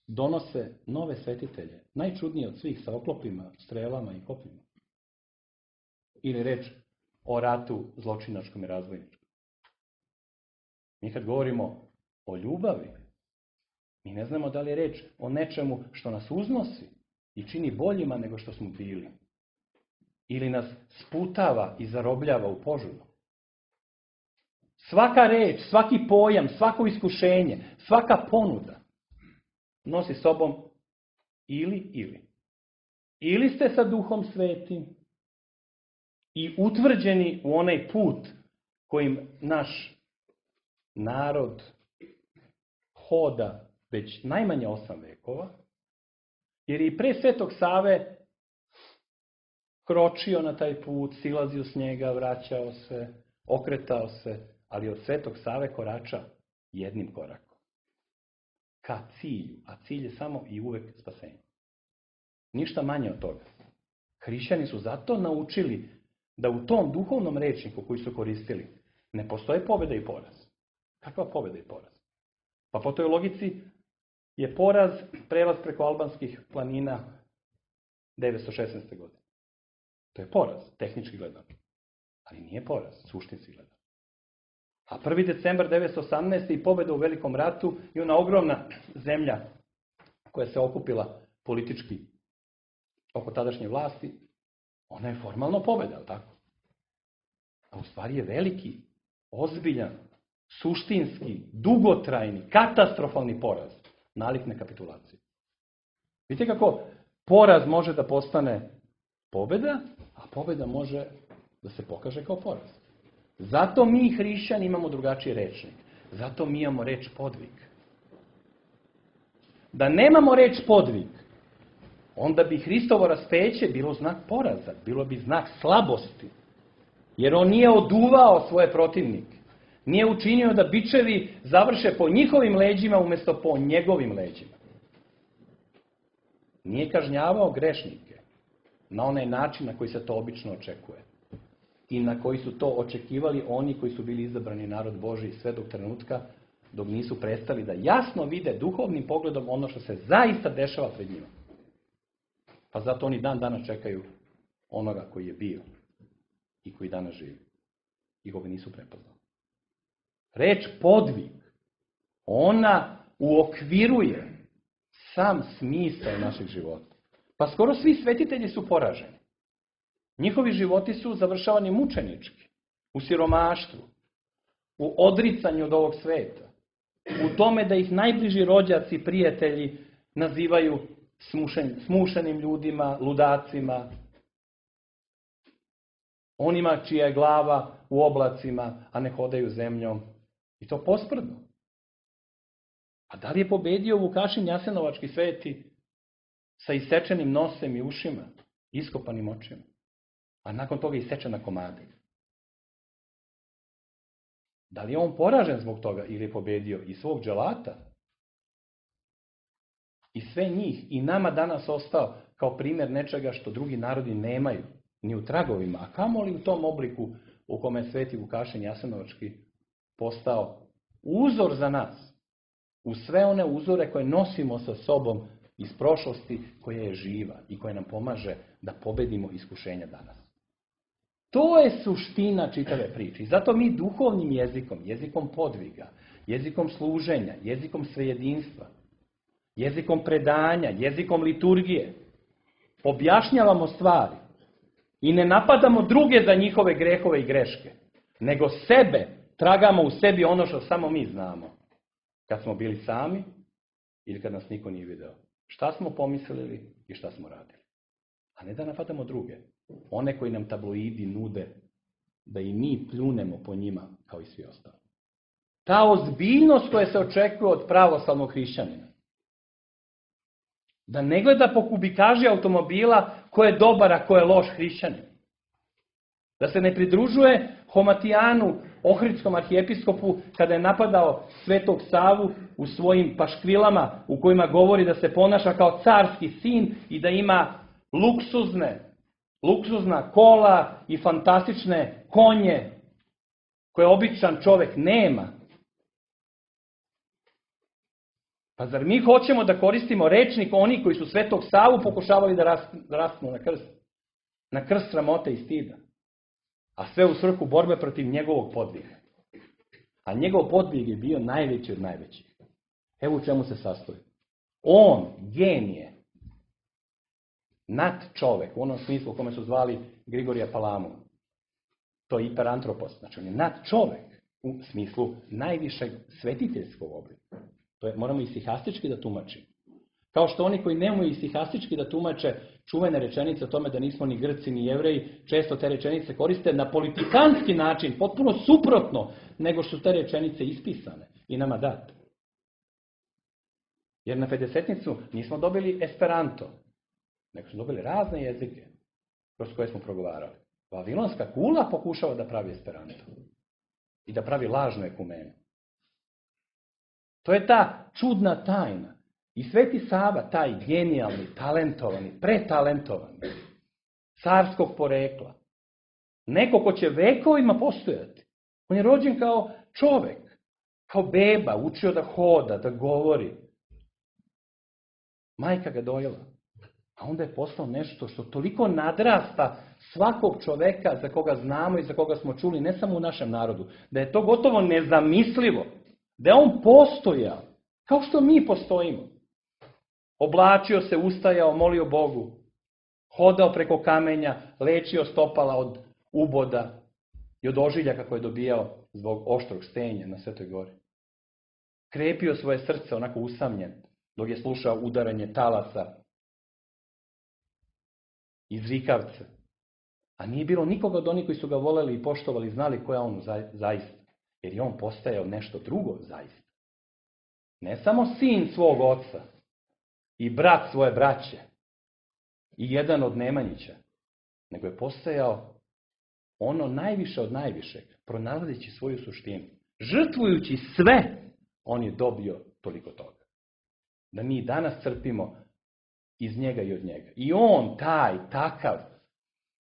donose nove svetitelje, najčudnije od svih, sa oklopima, strelama i kopima. Ili reč o ratu zločinačkom i razvojničkom. Mi kad govorimo o ljubavi, mi ne znamo da li je reč o nečemu što nas uznosi i čini boljima nego što smo bili. Ili nas sputava i zarobljava u požudu. Svaka reč, svaki pojam, svako iskušenje, svaka ponuda nosi sobom ili, ili. Ili ste sa Duhom Svetim i utvrđeni u onaj put kojim naš narod hoda već najmanje osam vekova, jer je i pre Svetog Save kročio na taj put, silazio s njega, vraćao se, okretao se, ali od Svetog Save korača jednim korakom. Ka cilju, a cilj je samo i uvek spasenje. Ništa manje od toga. Hrišćani su zato naučili da u tom duhovnom rečniku koji su koristili ne postoje pobjeda i poraz. Kakva pobjeda i poraz? Pa po toj logici je poraz prelaz preko albanskih planina devetsto šesnaeste. godine. To je poraz, tehnički gledano. Ali nije poraz, suštinski gledano. A prvi decembar devetsto osamnaeste. i pobjeda u Velikom ratu i ona ogromna zemlja koja se okupila politički oko tadašnje vlasti, ona je formalno pobjeda, ali tako? A u stvari je veliki, ozbiljan, suštinski, dugotrajni, katastrofalni poraz, nalik na kapitulaciju. Vidite kako poraz može da postane pobjeda, a pobjeda može da se pokaže kao poraz. Zato mi, hrišćani, imamo drugačiji rečnik. Zato mi imamo reč podvig. Da nemamo reč podvig, onda bi Hristovo raspeće bilo znak poraza, bilo bi znak slabosti. Jer on nije oduvao svoje protivnike. Nije učinio da bičevi završe po njihovim leđima umjesto po njegovim leđima. Nije kažnjavao grešnike na onaj način na koji se to obično očekuje. I na koji su to očekivali oni koji su bili izabrani narod Božiji sve do trenutka dok nisu prestali da jasno vide duhovnim pogledom ono što se zaista dešava pred njima. Pa zato oni dan danas čekaju onoga koji je bio i koji danas živi. I koga nisu prepoznali. Reč podvig, ona uokviruje sam smisao našeg života. Pa skoro svi svetitelji su poraženi. Njihovi životi su završavani mučenički, u siromaštvu, u odricanju od ovog sveta, u tome da ih najbliži rođaci i prijatelji nazivaju smušen, smušenim ljudima, ludacima, onima čija je glava u oblacima, a ne hodaju zemljom. I to posprdno. A da li je pobedio Vukašin Jasenovački sveti sa isečenim nosem i ušima, iskopanim očima, a nakon toga isečen na komade? Da li je on poražen zbog toga ili je pobedio i svog dželata? I sve njih i nama danas ostao kao primjer nečega što drugi narodi nemaju, ni u tragovima, a kamoli u tom obliku u kome je sveti Vukašin Jasenovački postao uzor za nas. U sve one uzore koje nosimo sa sobom iz prošlosti, koja je živa i koja nam pomaže da pobedimo iskušenja danas. To je suština čitave priče. I zato mi duhovnim jezikom, jezikom podviga, jezikom služenja, jezikom svejedinstva, jezikom predanja, jezikom liturgije, objašnjavamo stvari i ne napadamo druge za njihove grehove i greške, nego sebe tragamo u sebi ono što samo mi znamo. Kad smo bili sami ili kad nas niko nije video. Šta smo pomislili i šta smo radili. A ne da napadamo druge. One koji nam tabloidi nude da i mi pljunemo po njima kao i svi ostali. Ta ozbiljnost koja se očekuje od pravoslavnog hrišćanina. Da ne gleda po kubikaži automobila ko je dobar, a ko je loš hrišćanin. Da se ne pridružuje Homatijanu, ohridskom arhijepiskopu, kada je napadao Svetog Savu u svojim paškvilama u kojima govori da se ponaša kao carski sin i da ima luksuzne, luksuzna kola i fantastične konje koje običan čovjek nema. Pa zar mi hoćemo da koristimo rečnik oni koji su Svetog Savu pokušavali da raspnu na krst? Na krst sramote i stida. A sve u svrhu borbe protiv njegovog podviga. A njegov podvig je bio najveći od najvećih. Evo u čemu se sastoji. On, genije, nad čovek, u onom smislu u kome su zvali Grigorija Palamu. To je hiperantropos, znači on je nad čovek u smislu najvišeg svetiteljskog oblika. To je, moramo i stihastički da tumačimo. Kao što oni koji nemaju i stihastički da tumače čuvene rečenice o tome da nismo ni Grci ni Jevreji, često te rečenice koriste na politikanski način, potpuno suprotno nego što su te rečenice ispisane i nama date. Jer na pedesetnicu nismo dobili esperanto, nego smo dobili razne jezike kroz koje smo progovarali. Vavilonska kula pokušava da pravi esperanto i da pravi lažnu ekumenu. To je ta čudna tajna. I Sveti Sava, taj genijalni, talentovani, pretalentovani, carskog porekla, neko ko će vekovima postojati. On je rođen kao čovek, kao beba, učio da hoda, da govori. Majka ga dojela. A onda je postao nešto što toliko nadrasta svakog čoveka za koga znamo i za koga smo čuli, ne samo u našem narodu, da je to gotovo nezamislivo, da je on postojao, kao što mi postojimo. Oblačio se, ustajao, molio Bogu, hodao preko kamenja, lečio stopala od uboda i od ožiljaka koje je dobijao zbog oštrog stenja na Svetoj gori. Krepio svoje srce onako usamljen, dok je slušao udaranje talasa iz rikavca. A nije bilo nikoga od onih koji su ga voleli i poštovali i znali ko je on zaista. Jer je on postajao nešto drugo zaista. Ne samo sin svog oca i brat svoje braće i jedan od Nemanjića, nego je postajao ono najviše od najvišeg, pronalazeći svoju suštinu. Žrtvujući sve, on je dobio toliko toga. Da mi danas crpimo iz njega i od njega. I on, taj, takav,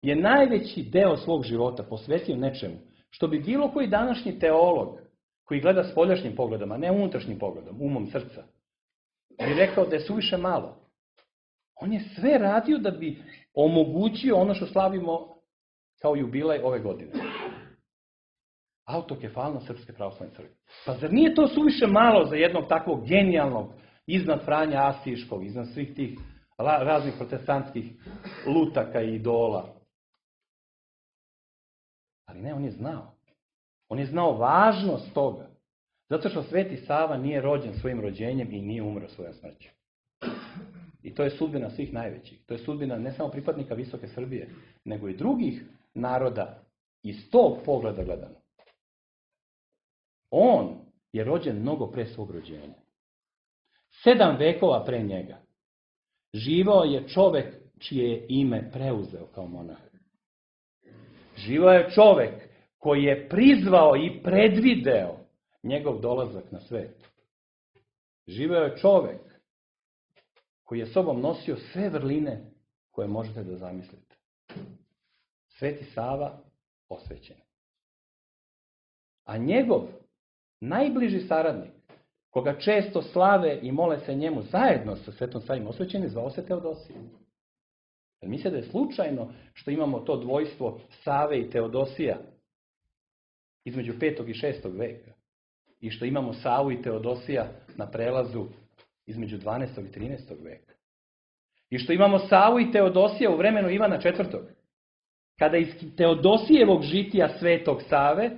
je najveći deo svog života posvetio nečemu, što bi bilo koji današnji teolog, koji gleda spoljašnjim pogledom, a ne unutrašnjim pogledom, umom srca, bi rekao da je suviše malo. On je sve radio da bi omogućio ono što slavimo kao jubilej ove godine. Autokefalnost Srpske pravoslavne crkve. Pa zar nije to suviše malo za jednog takvog genijalnog, iznad Franja Asiškog, iznad svih tih raznih protestantskih lutaka i idola? Ali ne, on je znao. On je znao važnost toga. Zato što Sveti Sava nije rođen svojim rođenjem i nije umro svojom smrću. I to je sudbina svih najvećih. To je sudbina ne samo pripadnika Visoke Srbije, nego i drugih naroda iz tog pogleda gledano. On je rođen mnogo pre svog rođenja. Sedam vekova pre njega živao je čovek čije je ime preuzeo kao monah. Živao je čovek koji je prizvao i predvideo njegov dolazak na svet. Živao je čovek koji je sobom nosio sve vrline koje možete da zamislite. Sveti Sava osvećen. A njegov najbliži saradnik, koga često slave i mole se njemu zajedno sa Svetom Savim osvećenim, zvao se Teodosije. Jer misle da je slučajno što imamo to dvojstvo Save i Teodosija između petog i šestog veka. I što imamo Savu i Teodosija na prelazu između dvanaestog i trinaestog veka. I što imamo Savu i Teodosija u vremenu Ivana četvrtog. Kada iz Teodosijevog žitija Svetog Save,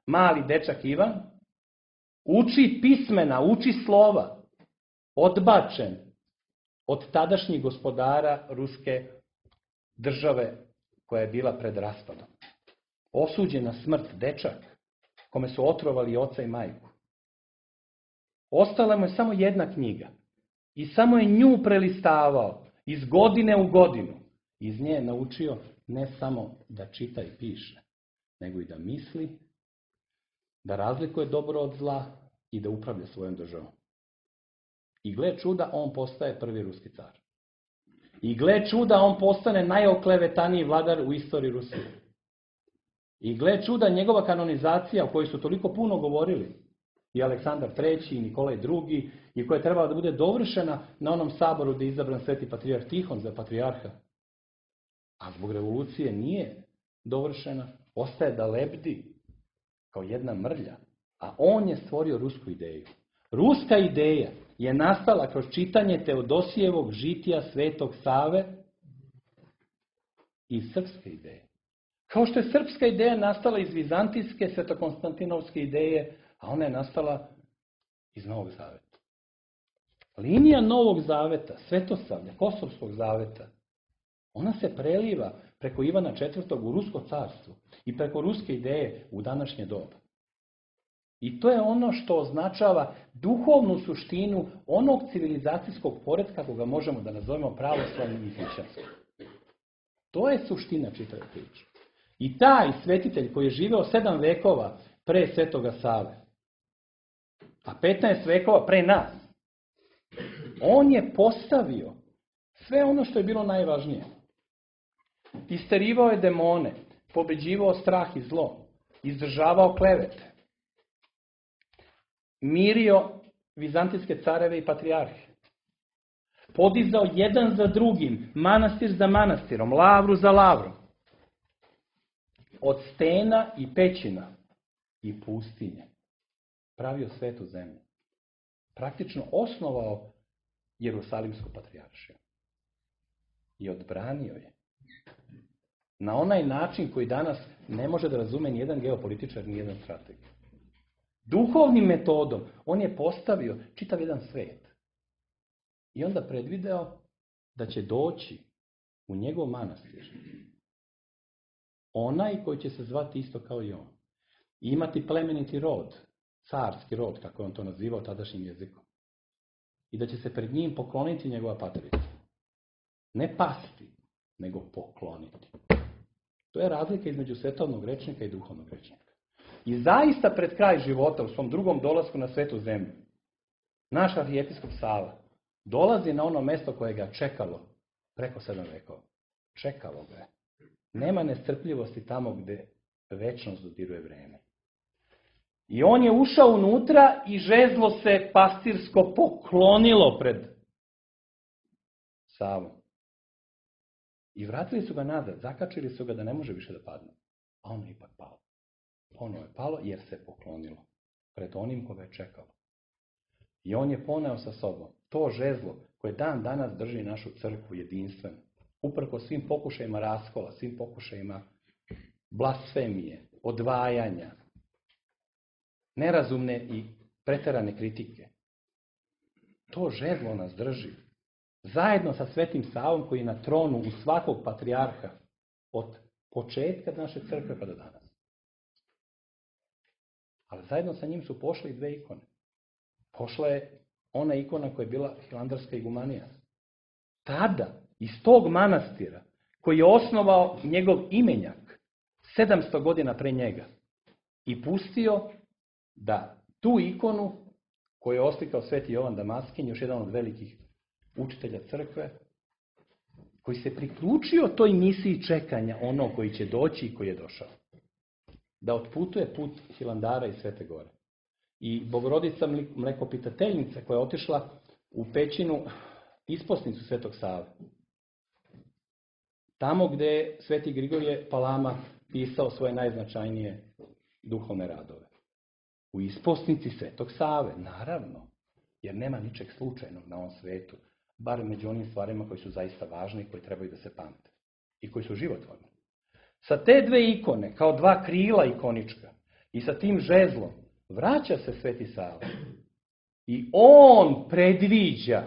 mali dečak Ivan, uči pismena, uči slova, odbačen od tadašnjih gospodara ruske države koja je bila pred raspadom. Osuđen na smrt dečak, kome su otrovali oca i majku. Ostala mu je samo jedna knjiga i samo je nju prelistavao iz godine u godinu. Iz nje je naučio ne samo da čita i piše, nego i da misli, da razlikuje dobro od zla i da upravlja svojom državom. I gle čuda, on postaje prvi ruski car. I gle čuda, on postane najoklevetaniji vladar u istoriji Rusije. I gle čuda, njegova kanonizacija, o kojoj su toliko puno govorili, i Aleksandar treći, i Nikolaj drugi, i koja je trebala da bude dovršena na onom saboru gdje je izabran sveti patrijarh Tihon za patrijarha. A zbog revolucije nije dovršena, ostaje da lebdi kao jedna mrlja. A on je stvorio rusku ideju. Ruska ideja je nastala kroz čitanje Teodosijevog žitija Svetog Save i srpske ideje. Kao što je srpska ideja nastala iz vizantijske svetokonstantinovske ideje, a ona je nastala iz Novog Zaveta. Linija Novog Zaveta, Svetosavlja, Kosovskog Zaveta, ona se preliva preko Ivana četvrtog u Rusko carstvo i preko ruske ideje u današnje doba. I to je ono što označava duhovnu suštinu onog civilizacijskog poretka koga možemo da nazovemo pravoslavnim i hrišćanskim. To je suština čitave priče. I taj svetitelj koji je živeo sedam vekova pre Svetoga Save, a petnaest vekova pre nas, on je postavio sve ono što je bilo najvažnije. Isterivao je demone, pobeđivao strah i zlo, izdržavao klevete, mirio vizantijske careve i patrijarhe, podizao jedan za drugim, manastir za manastirom, lavru za lavrom, od stena i pećina i pustinje, pravio svetu zemlju. Praktično osnovao Jerusalimsku patrijaršiju i odbranio je na onaj način koji danas ne može da razume ni jedan geopolitičar, ni jedan strateg. Duhovnim metodom on je postavio čitav jedan svet. I onda predvideo da će doći u njegov manastir onaj koji će se zvati isto kao i on. I imati plemeniti rod, carski rod, kako je on to nazivao tadašnjim jezikom. I da će se pred njim pokloniti njegova patrica. Ne pasti, nego pokloniti. To je razlika između svetovnog rečnika i duhovnog rečnika. I zaista pred kraj života, u svom drugom dolasku na svetu zemlju, naš arhijepiskop Sava dolazi na ono mesto koje ga čekalo preko sedam vekova. Čekalo ga je. Nema nestrpljivosti tamo gde večnost dodiruje vreme. I on je ušao unutra i žezlo se pastirsko poklonilo pred Savom. I vratili su ga nazad, zakačili su ga da ne može više da padne. A ono je ipak palo. Ono je palo jer se poklonilo pred onim koga je čekalo. I on je poneo sa sobom to žezlo koje dan danas drži našu crkvu jedinstveno. Uprko svim pokušajima raskola, svim pokušajima blasfemije, odvajanja, nerazumne i preterane kritike. To žezlo nas drži. Zajedno sa Svetim Savom koji je na tronu u svakog patrijarha od početka naše crkve pa do danas. Ali zajedno sa njim su pošle i dve ikone. Pošla je ona ikona koja je bila hilandarska igumanija. Tada, iz tog manastira, koji je osnovao njegov imenjak sedamsto godina pre njega i pustio da tu ikonu koju je oslikao Sveti Jovan Damaskin, još jedan od velikih učitelja crkve, koji se priključio toj misiji čekanja onog koji će doći i koji je došao. Da otputuje put Hilandara i Svete Gore. I Bogorodica Mlekopitateljnica koja je otišla u pećinu isposnicu Svetog Save. Tamo gde je Sveti Grigorije Palama pisao svoje najznačajnije duhovne radove. U isposnici Svetog Save, naravno, jer nema ničeg slučajnog na ovom svetu, bar među onim stvarima koji su zaista važni i koji trebaju da se pamte i koji su životvorni. Sa te dve ikone, kao dva krila ikonička, i sa tim žezlom, vraća se Sveti Sava. I on predviđa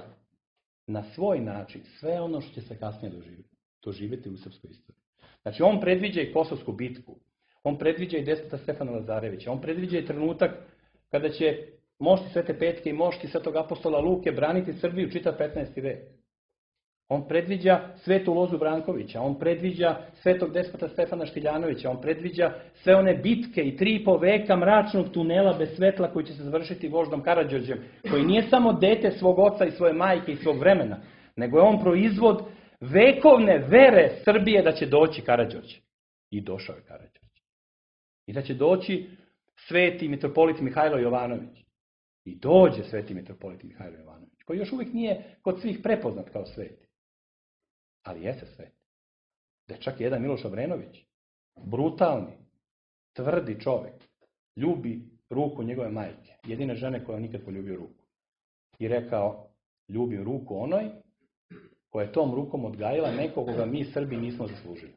na svoj način sve ono što će se kasnije doživjeti, doživjeti u srpskoj istoriji. Znači, on predviđa i Kosovsku bitku, on predviđa i despota Stefana Lazarevića, on predviđa i trenutak kada će mošti Svete Petke i mošti Svetog apostola Luke braniti Srbiju čitav petnaesti vek. On predviđa Svetu Lozu Brankovića, on predviđa Svetog despota Stefana Štiljanovića, on predviđa sve one bitke i tri i po veka mračnog tunela bez svetla koji će se završiti voždom Karađorđem, koji nije samo dete svog oca i svoje majke i svog vremena, nego je on proizvod vekovne vere Srbije da će doći Karađorđe. I došao je Karađorđe. I da će doći sveti mitropolit Mihajlo Jovanović. I dođe sveti mitropolit Mihajlo Jovanović, koji još uvijek nije kod svih prepoznat kao sveti. Ali jeste sveti. Da je čak jedan Miloš Obrenović, brutalni, tvrdi čovjek, ljubi ruku njegove majke, jedine žene koja nikad poljubio ruku. I rekao, ljubim ruku onoj koja je tom rukom odgajila nekog koga mi Srbi nismo zaslužili.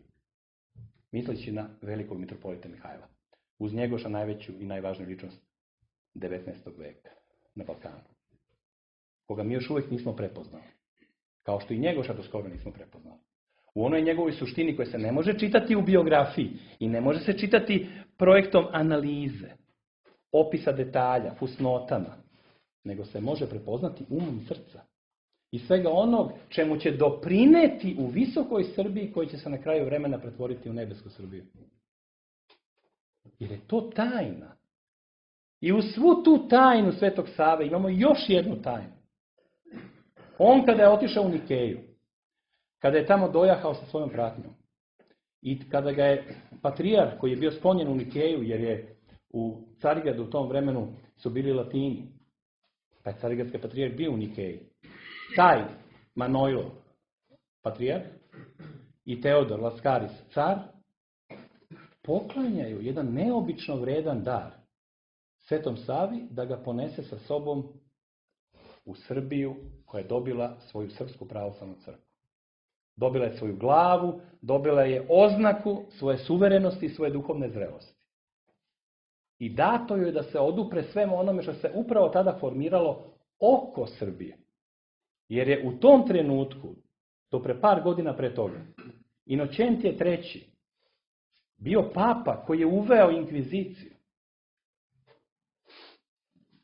Misleći na velikog mitropolita Mihajla. Uz Njegoša najveću i najvažniju ličnost devetnaestog veka na Balkanu. Koga mi još uvijek nismo prepoznali. Kao što i Njegoša do skoro nismo prepoznali. U onoj njegovoj suštini koja se ne može čitati u biografiji i ne može se čitati projektom analize. opisa detalja, fusnotama, nego se može prepoznati umom srca. I svega onog čemu će doprineti u visokoj Srbiji koji će se na kraju vremena pretvoriti u nebesku Srbiju. Jer je to tajna. I u svu tu tajnu Svetog Save imamo još jednu tajnu. On kada je otišao u Nikeju, kada je tamo dojahao sa svojom pratnjom i kada ga je patrijar koji je bio sklonjen u Nikeju, jer je u Carigradu u tom vremenu su bili Latini, pa je carigradski patrijar bio u Nikeji, taj Manojlo, patrijar, i Teodor Laskaris, car, poklanjaju jedan neobično vredan dar Svetom Savi da ga ponese sa sobom u Srbiju koja je dobila svoju srpsku pravoslavnu crkvu. Dobila je svoju glavu, dobila je oznaku svoje suverenosti i svoje duhovne zrelosti. I dato joj da se odupre svemu onome što se upravo tada formiralo oko Srbije. Jer je u tom trenutku, do pre par godina pre toga, Inoćentije treći bio papa koji je uveo inkviziciju,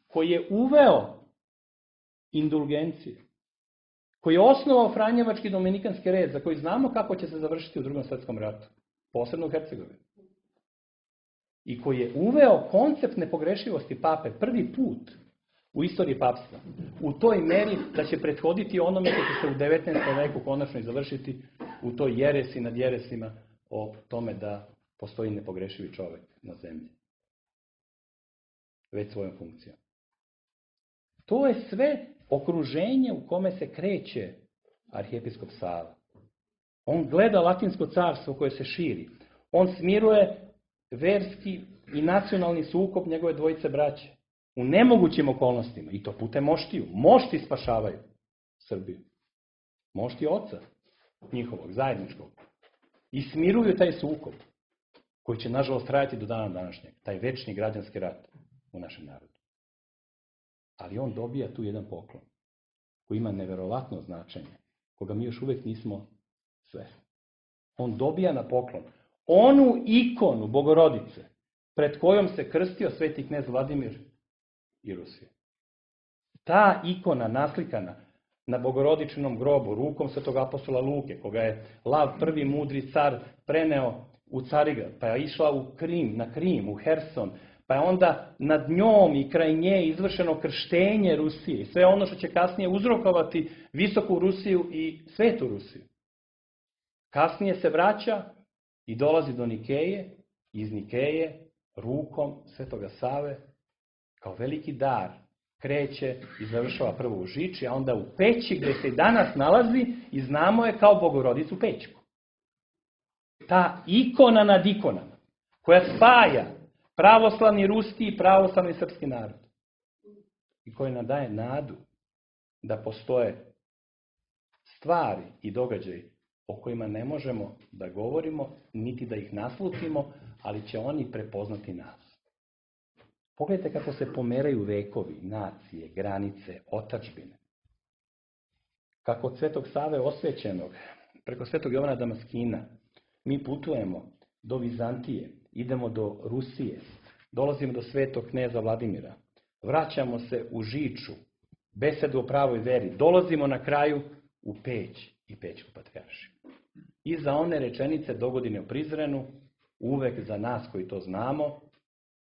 koji je uveo indulgenciju, koji je osnovao Franjevački dominikanski red, za koji znamo kako će se završiti u Drugom svjetskom ratu, posebno u Hercegovini. I koji je uveo koncept nepogrešivosti pape prvi put u istoriji papstva, u toj meri da će prethoditi onome što će se u devetnaestom veku konačno i završiti u toj jeresi nad jeresima o tome da postoji nepogrešivi čovjek na zemlji. Već svojom funkcijom. To je sve okruženje u kome se kreće arhijepiskop Sava. On gleda latinsko carstvo koje se širi. On smiruje verski i nacionalni sukob njegove dvojice braće. U nemogućim okolnostima. I to putem moštiju. Mošti spašavaju Srbiju. Mošti oca njihovog, zajedničkog. I smiruju taj sukob koji će nažalost trajati do dana današnjeg. Taj večni građanski rat u našem narodu. Ali on dobija tu jedan poklon koji ima neverovatno značenje, koga mi još uvijek nismo svesni. On dobija na poklon onu ikonu Bogorodice pred kojom se krstio sveti knez Vladimir i Rusije. Ta ikona naslikana na Bogorodičinom grobu rukom svetog apostola Luke, koga je Lav prvi mudri car preneo u Carigrad, pa je išla u Krim, na Krim, u Herson, pa je onda nad njom i kraj nje izvršeno krštenje Rusije i sve ono što će kasnije uzrokovati visoku Rusiju i svetu Rusiju. Kasnije se vraća i dolazi do Nikeje, iz Nikeje rukom Svetoga Save kao veliki dar kreće i završava prvo u Žiči, a onda u Peći gdje se i danas nalazi i znamo je kao Bogorodicu Pećku. Ta ikona nad ikonama koja spaja pravoslavni ruski i pravoslavni srpski narod i koja nam daje nadu da postoje stvari i događaji o kojima ne možemo da govorimo, niti da ih naslutimo, ali će oni prepoznati nas. Pogledajte kako se pomeraju vekovi, nacije, granice, otadžbine. Kako od Svetog Save osvećenog, preko Svetog Jovana Damaskina, mi putujemo do Vizantije, idemo do Rusije, dolazimo do Svetog kneza Vladimira, vraćamo se u Žiču, besedu o pravoj veri, dolazimo na kraju u Peć i Pećku patrijaršiju. I za one rečenice dogodine u Prizrenu, uvek za nas koji to znamo,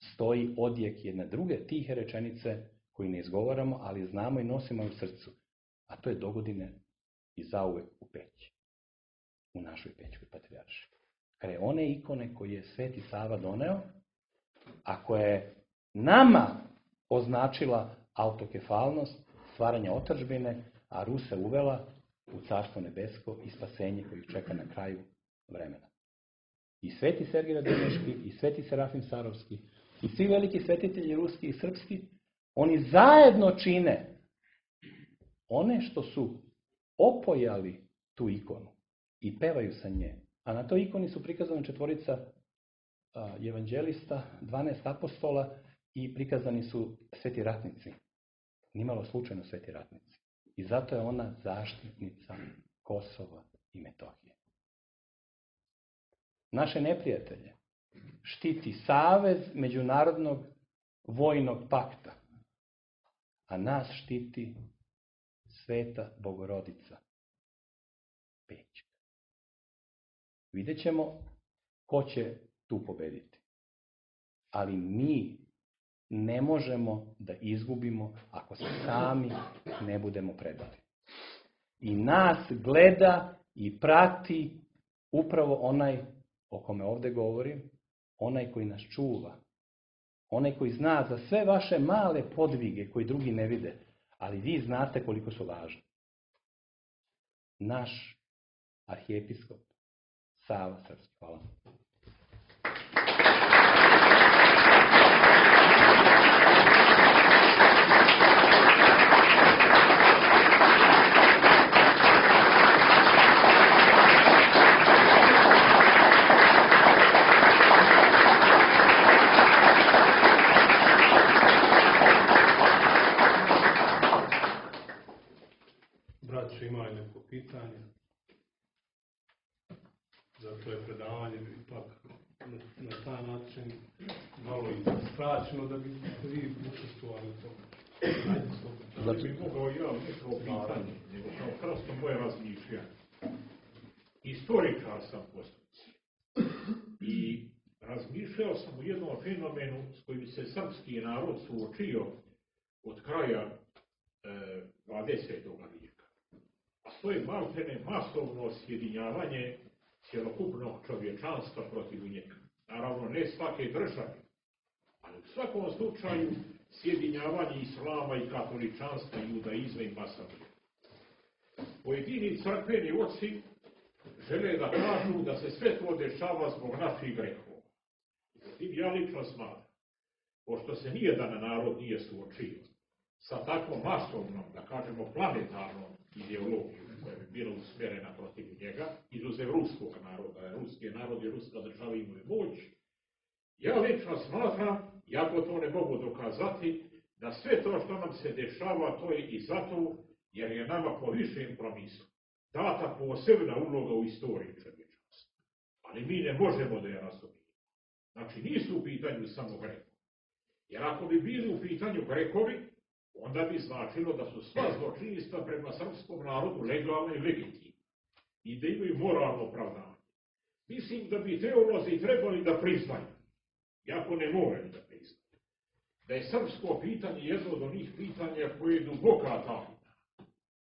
stoji odjek jedne druge tihe rečenice koju ne izgovaramo, ali znamo i nosimo u srcu. A to je dogodine i zauvek u Peći. U našoj Pećkoj patrijaršiji. Kraj one ikone koje je Sveti Sava doneo, a koja je nama označila autokefalnost, stvaranja otadžbine, a Ruse uvela u Carstvo nebesko i spasenje koje ih čeka na kraju vremena. I Sveti Sergij Radoneški, i Sveti Serafim Sarovski, i svi veliki svetitelji ruski i srpski, oni zajedno čine one što su opojali tu ikonu i pevaju sa nje. A na toj ikoni su prikazane četvorica a, evanđelista, dvanaest apostola i prikazani su sveti ratnici. Nimalo slučajno sveti ratnici. I zato je ona zaštitnica Kosova i Metohije. Naše neprijatelje štiti savez međunarodnog vojnog pakta, a nas štiti Sveta Bogorodica Pećka. Vidjet ćemo ko će tu pobediti. Ali mi ne možemo da izgubimo ako se sami ne budemo predali. I nas gleda i prati upravo onaj o kome ovdje govorim, onaj koji nas čuva, onaj koji zna za sve vaše male podvige koji drugi ne vide, ali vi znate koliko su važni. Naš arhijepiskop Sava Srpski. Hvala. Braćo, imaju neko pitanje? Zato je predavanje ipak na, na taj način malo i skraćeno da bi vi učestvovali u tome. Da bi mogao ja neko pitanje, nego kao prosto moje razmišljanje. Istoričar sam postupci. I razmišljao sam o jednom fenomenu s kojim se srpski narod suočio od kraja e, dvadesetog vijeka. A to je maltene masovno sjedinjavanje cjelokupnog čovječanstva protiv njega. Naravno, ne svake države, ali u svakom slučaju sjedinjavanje islama i katoličanstva, judaizma i masovnog. Pojedini crkveni oci žele da kažu da se sve to dešava zbog naših grehova. Međutim, ja lično smatram, pošto se nijedan narod nije suočio sa takvom masovnom, da kažemo planetarnom ideologijom koja bi bila usmjerena protiv njega, izuzev ruskog naroda, ruski narod i ruska država imaju moć, ja lično smatram, jako to ne mogu dokazati, da sve to što nam se dešava, to je i zato jer je nama po višem promislu data posebna uloga u istoriji čovječanstva. Ali mi ne možemo da je razumijemo. Znači, nisu u pitanju samo Grekovi. Jer ako bi bili u pitanju Grekovi, onda bi značilo da su sva zločinstva prema srpskom narodu legalne i legitimne i da imaju moralno opravdanje. Mislim da bi teolozi trebali da priznaju, jako ne moraju da priznaju, da je srpsko pitanje jedno od onih pitanja koje je duboka tajna,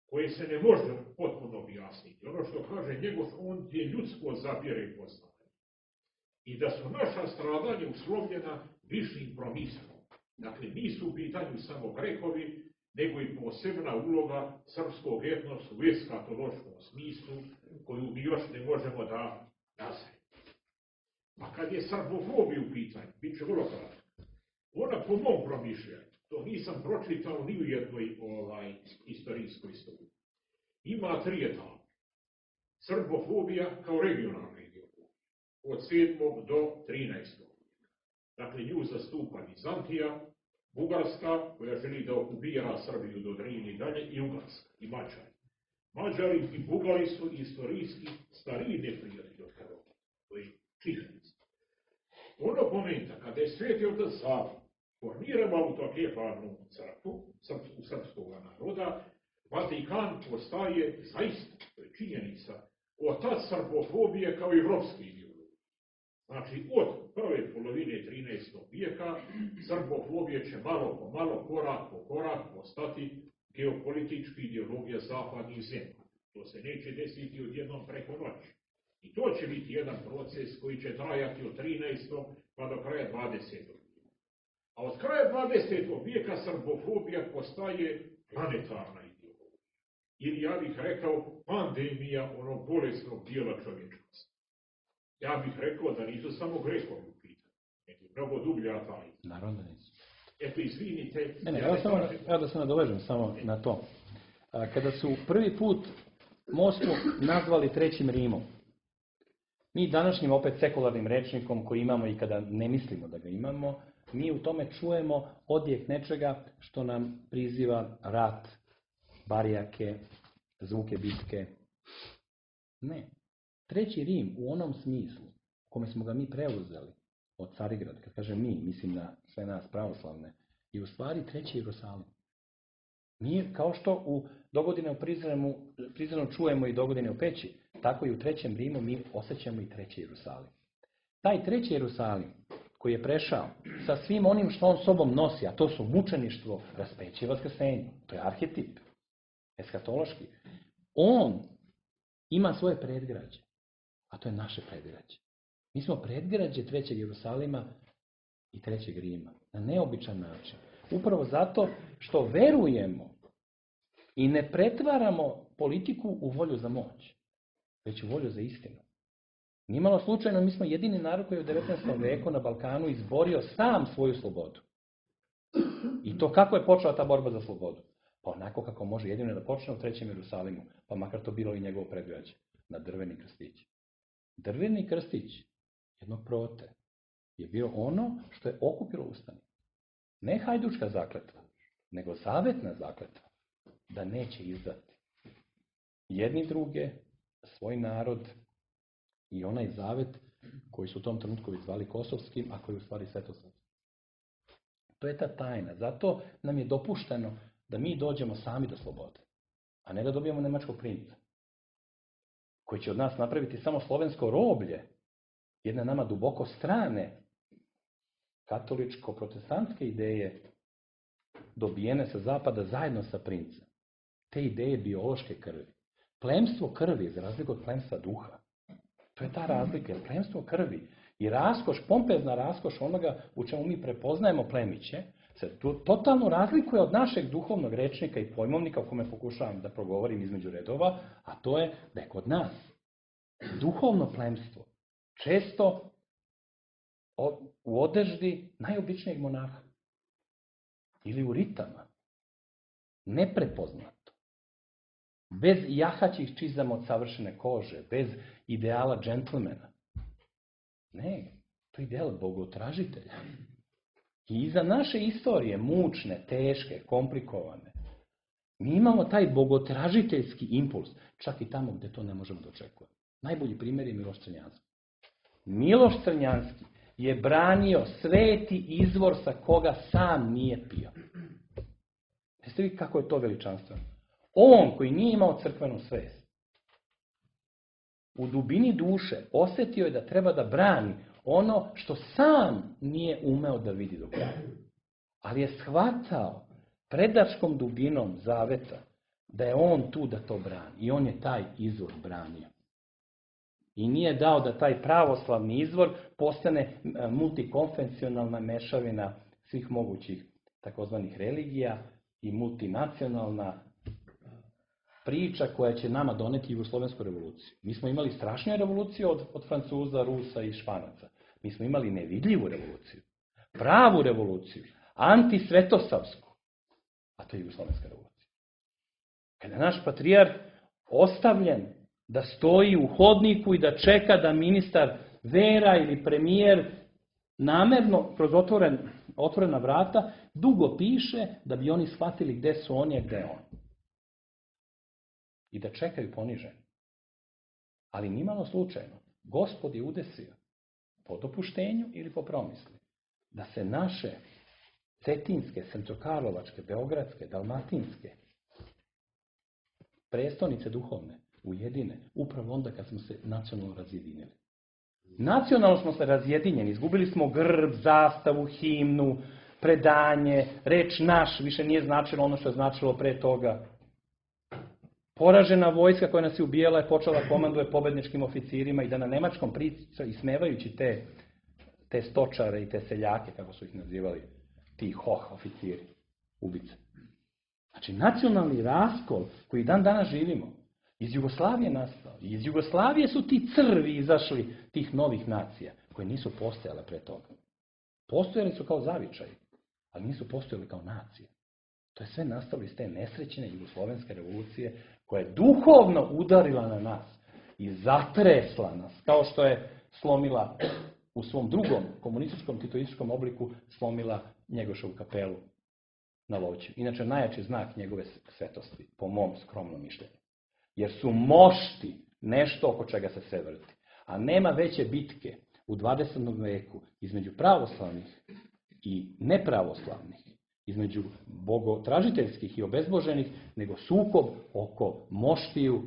koje se ne može potpuno objasniti. Ono što kaže njegov, on je ljudsko zapire i poznaje. I da su naša stradanja uslovljena višim promislom. Dakle, nisu u pitanju samo Grekovi, nego i posebna uloga srpskog etnosa u eskatološkom smislu, koju mi još ne možemo da nazremo. A kad je srbofobija u pitanju, bit će vrlo kratko. Ona po mom promišljanju, to nisam pročitao ni u jednoj ovaj, istorijskoj studiji, ima tri etape. Srbofobija kao regionalna ideologija, od sedmog do trinaestog Dakle, nju zastupa Vizantija, Bugarska, koja želi da okupira Srbiju do Drine i dalje, i Ugarska, i Mađari. Mađari i Bugari su istorijski stariji neprijatelji od Hrvata. To je činjenica. Ono momenta kada je Sveti otac Sava formirao autokefalnu crkvu u srpskog naroda, Vatikan postaje zaista, to je činjenica, otac srbofobije kao i evropske ideologije. Znači, od prve polovine trinaestog vijeka srbofobija će malo po malo, korak po korak postati geopolitička ideologija zapadnih zemlja. To se neće desiti odjednom preko noći. I to će biti jedan proces koji će trajati od trinaestog pa do kraja dvadesetog vijeka. A od kraja dvadesetog vijeka srbofobija postaje planetarna ideologija. Ili ja bih rekao pandemija onog bolesnog dijela čovječanstva. Ja bih rekao da nisu samo Grekovi u pitanju, nego mnogo dublja tajna. Naravno da nisu. Eto, izvinite. Ne, ne, ja ja, ne samo, kažem... ja da se nadovežem samo na to. A, kada su prvi put Moskvu nazvali Trećim Rimom, mi današnjim opet sekularnim rečnikom koji imamo i kada ne mislimo da ga imamo, mi u tome čujemo odjek nečega što nam priziva rat, barijake, zvuke bitke. Ne. Treći Rim u onom smislu u kome smo ga mi preuzeli od Carigrada. Kad kažem mi, mislim na sve nas pravoslavne, je u stvari treći Jerusalim. Mi, kao što u dogodine u Prizrenu, Prizrenu čujemo i dogodine u Peći, tako i u trećem Rimu mi osjećamo i treći Jerusalim. Taj treći Jerusalim koji je prešao sa svim onim što on sobom nosi, a to su mučeništvo, raspeće i vaskrsenje. To je arhetip, eskatološki. On ima svoje predgrađe, a to je naše predgrađe. Mi smo predgrađe trećeg Jerusalima i trećeg Rima, na neobičan način. Upravo zato što verujemo i ne pretvaramo politiku u volju za moć, već u volju za istinu. Nimalo slučajno, mi smo jedini narod koji je u devetnaestom veku na Balkanu izborio sam svoju slobodu. I to kako je počela ta borba za slobodu? Pa onako kako može jedino da počne u trećem Jerusalimu, pa makar to bilo i njegovo predgrađe, na drveni krstić. Drveni krstić jednog prote je bio ono što je okupilo ustanik. Ne hajdučka zakletva, nego zavetna zakletva, da neće izdati jedni druge, svoj narod i onaj zavet koji su u tom trenutku zvali Kosovskim, a koji je u stvari Svetosavskim. To je ta tajna. Zato nam je dopušteno da mi dođemo sami do slobode, a ne da dobijemo nemačkog princa, koji će od nas napraviti samo slovensko roblje, jedne nama duboko strane katoličko-protestantske ideje dobijene sa zapada zajedno sa princem. Te ideje biološke krvi. Plemstvo krvi, za razliku od plemstva duha. To je ta razlika, jer plemstvo krvi i raskoš, pompezna raskoš onoga u čemu mi prepoznajemo plemiće, se totalno razlikuje od našeg duhovnog rečnika i pojmovnika o kome pokušavam da progovorim između redova, a to je da je kod nas duhovno plemstvo često u odeždi najobičnijeg monaha ili u ritama, neprepoznato, bez jahaćih čizama od savršene kože, bez ideala džentlmena. Ne, to je ideal bogotražitelja. I iza naše istorije, mučne, teške, komplikovane, mi imamo taj bogotražiteljski impuls, čak i tamo gdje to ne možemo da očekujemo. Najbolji primjer je Miloš Crnjanski. Miloš Crnjanski je branio sveti izvor sa koga sam nije pio. Jeste vi kako je to veličanstveno? On koji nije imao crkvenu svest, u dubini duše osjetio je da treba da brani ono što sam nije umeo da vidi do kraja. Ali je shvatao predačkom dubinom zaveta da je on tu da to brani. I on je taj izvor branio. I nije dao da taj pravoslavni izvor postane multikonfesionalna mešavina svih mogućih takozvanih religija i multinacionalna priča koja će nama doneti jugoslovensku revoluciju. Mi smo imali strašniju revoluciju od, od Francuza, Rusa i Španaca. Mi smo imali nevidljivu revoluciju. Pravu revoluciju. Antisvetosavsku. A to je jugoslovenska revolucija. Kada je naš patrijarh ostavljen da stoji u hodniku i da čeka da ministar vera ili premijer namerno kroz otvoren, otvorena vrata dugo piše da bi oni shvatili gde su oni, a gde je on. I da čekaju poniženi. Ali nimalo slučajno. Gospod je udesio po dopuštenju ili po promisli da se naše cetinske, sremskokarlovačke, beogradske, dalmatinske prestonice duhovne ujedine upravo onda kad smo se nacionalno razjedinili. Nacionalno smo se razjedinjeni, izgubili smo grb, zastavu, himnu, predanje, reč naš više nije značilo ono što je značilo pre toga. Poražena vojska koja nas je ubijala je počela da komanduje pobedničkim oficirima i da na nemačkom priča, ismevajući te, te stočare i te seljake, kako su ih nazivali, ti hoh oficiri, ubice. Znači, nacionalni raskol koji dan danas živimo, iz Jugoslavije nastao. I iz Jugoslavije su ti crvi izašli tih novih nacija, koje nisu postojale pre toga. Postojali su kao zavičaji, ali nisu postojali kao nacije. To je sve nastalo iz te nesrećene jugoslovenske revolucije koja je duhovno udarila na nas i zatresla nas, kao što je slomila u svom drugom komunističkom, titoističkom obliku slomila Njegošovu kapelu na Lovću. Inače, najjači znak njegove svetosti, po mom skromnom mišljenju. Jer su mošti nešto oko čega se sve vrti. A nema veće bitke u dvadesetom veku između pravoslavnih i nepravoslavnih, između bogotražiteljskih i obezboženih, nego sukob oko moštiju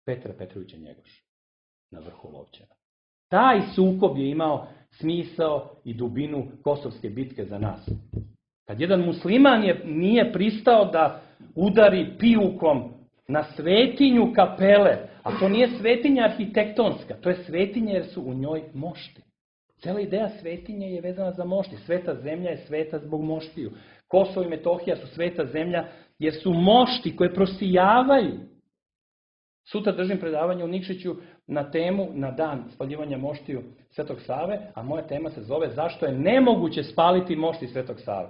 Petra Petrovića Njegoša na vrhu Lovćena. Taj sukob je imao smisao i dubinu Kosovske bitke za nas. Kad jedan musliman je, nije pristao da udari pijukom na svetinju kapele, a to nije svetinja arhitektonska, to je svetinja jer su u njoj mošti. Cijela ideja svetinje je vezana za mošti. Sveta zemlja je sveta zbog moštiju. Kosovo i Metohija su sveta zemlja jer su mošti koje prosijavaju. Sutra držim predavanje u Nikšiću na temu, na dan spaljivanja moštiju Svetog Save, a moja tema se zove zašto je nemoguće spaliti mošti Svetog Save.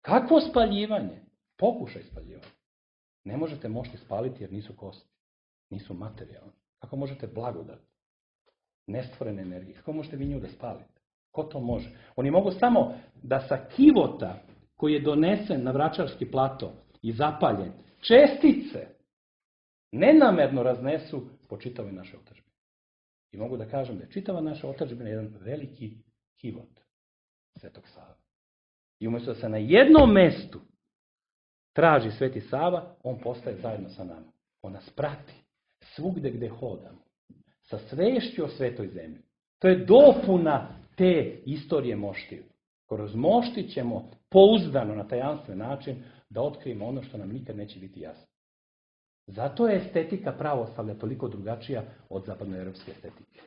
Kakvo spaljivanje? Pokušaj spaljivanja. Ne možete mošti spaliti jer nisu kosti, nisu materijalni. Kako možete blagodati? Nestvorene energije. Kako možete vi nju da spalite? Ko to može? Oni mogu samo da sa kivota koji je donesen na Vračarski plato i zapaljen, čestice nenamerno raznesu po čitavoj našoj otadžbini. I mogu da kažem da je čitava naša otadžbina jedan veliki kivot Svetog Save. I umjesto da se na jednom mestu traži Sveti Sava, on postaje zajedno sa nama. On nas prati svugde gde hodamo. Sa svešću o svetoj zemlji. To je dopuna te istorije moštiju. Kroz mošti ćemo pouzdano na tajanstven način da otkrijemo ono što nam nikad neće biti jasno. Zato je estetika pravoslavlja toliko drugačija od zapadnoevropske estetike.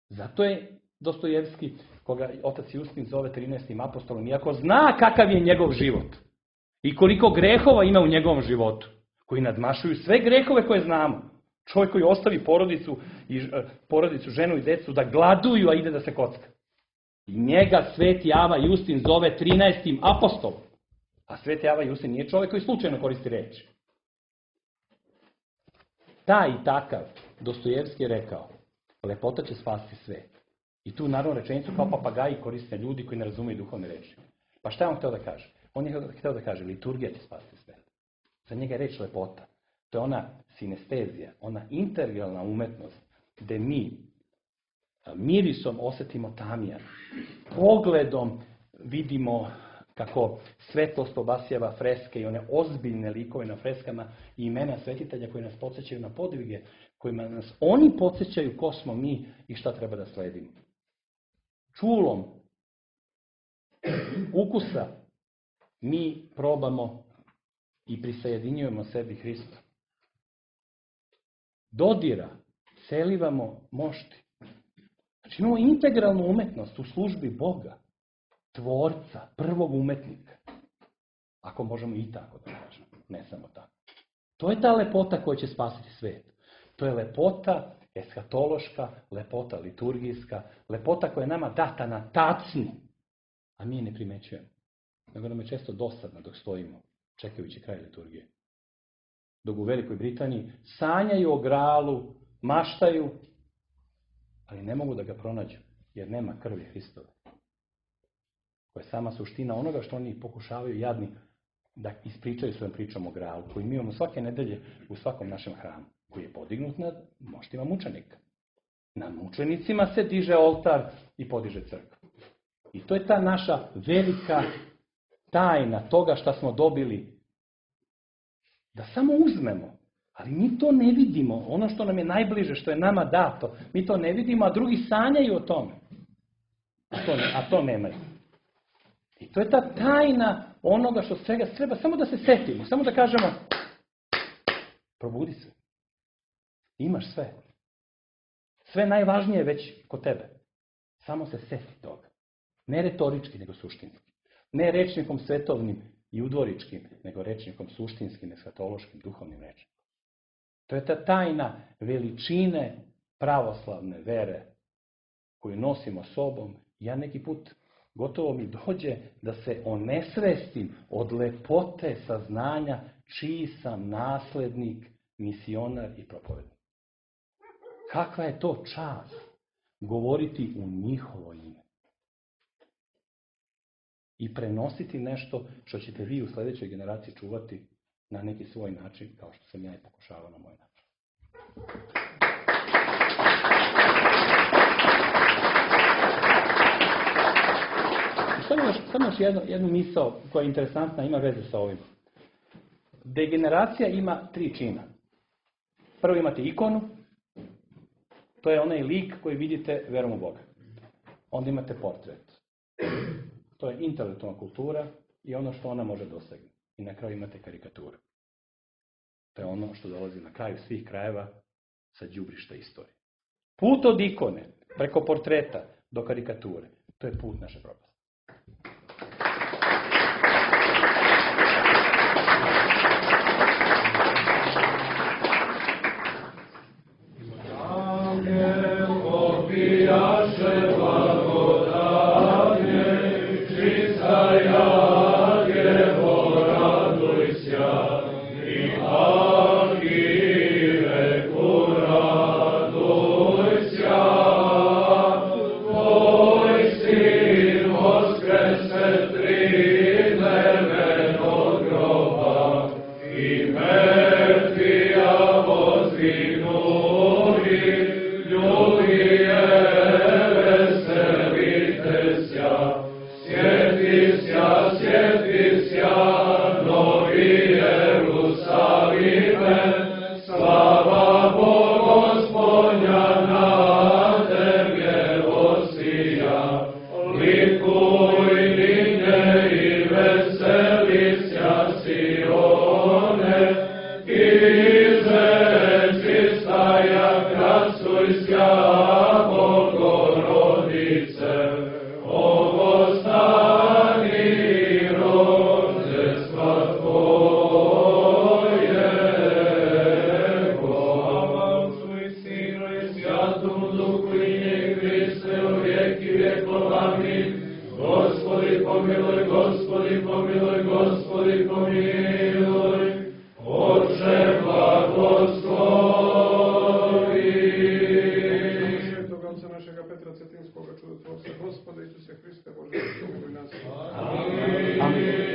Zato je Dostojevski, koga otac Justin zove trinaestim apostolom, iako zna kakav je njegov život i koliko grehova ima u njegovom životu, koji nadmašuju sve grehove koje znamo. Čovjek koji ostavi porodicu, i, porodicu, ženu i decu da gladuju, a ide da se kocka. I njega Sveti Ava Justin zove trinaestim apostolom. A Sveti Ava Justin nije čovjek koji slučajno koristi reči. Taj i takav Dostojevski je rekao, lepota će spasiti svet. I tu naravno rečenicu kao papagaji koriste ljudi koji ne razumiju duhovne reči. Pa šta je on htio da kaže? On je htio da kaže, liturgija će spasiti svet. Za njega je reč lepota. To je ona sinestezija, ona integralna umetnost, gde mi mirisom osjetimo tamijan, pogledom vidimo kako svetlost obasjava freske i one ozbiljne likove na freskama i imena svetitelja koji nas podsjećaju na podvige, kojima nas oni podsjećaju ko smo mi i šta treba da sledimo. Čulom ukusa mi probamo i prisajedinjujemo sebi Hrista. Dodira, celivamo mošti. Znači imamo integralnu umetnost u službi Boga, tvorca, prvog umetnika. Ako možemo i tako da kažemo, ne samo tako. To je ta lepota koja će spasiti svet. To je lepota eskatološka, lepota liturgijska, lepota koja je nama data na tacni, a mi je ne primećujemo. Nego nam je često dosadno dok stojimo, čekajući kraj liturgije. Dok u Velikoj Britaniji sanjaju o gralu, maštaju, ali ne mogu da ga pronađu, jer nema krvi Hristove. Koja je sama suština onoga što oni pokušavaju jadni da ispričaju svojom pričom o gralu, koji mi imamo svake nedelje u svakom našem hramu, koji je podignut nad moštima mučenika. Na mučenicima se diže oltar i podiže crkva. I to je ta naša velika tajna toga šta smo dobili. Da samo uzmemo, ali mi to ne vidimo. Ono što nam je najbliže, što je nama dato, mi to ne vidimo, a drugi sanjaju o tome. A to, ne, a to nemaju. I to je ta tajna onoga što svega treba, samo da se setimo, samo da kažemo, probudi se. Imaš sve. Sve najvažnije je već kod tebe. Samo se seti toga. Ne retorički, nego suštinski. Ne rečnikom svetovnim i udvoričkim, nego rečnikom suštinskim, eskatološkim, duhovnim rečnikom. To je ta tajna veličine pravoslavne vere koju nosimo sobom. Ja neki put gotovo mi dođe da se onesvestim od lepote saznanja čiji sam naslednik, misionar i propovednik. Kakva je to čast govoriti u njihovo ime. I prenositi nešto što ćete vi u sljedećoj generaciji čuvati na neki svoj način, kao što sam ja i pokušavao na moj način. samo još, samo još jednu, jednu misao koja je interesantna, ima veze sa ovim. Degeneracija ima tri čina. Prvo imate ikonu, to je onaj lik koji vidite verom u Boga. Onda imate portret. To je intelektualna kultura i ono što ona može dosegnuti. I na kraju imate karikaturu. To je ono što dolazi na kraju svih krajeva sa đubrišta istorije. Put od ikone, preko portreta do karikature, to je put naše propasti. Amen.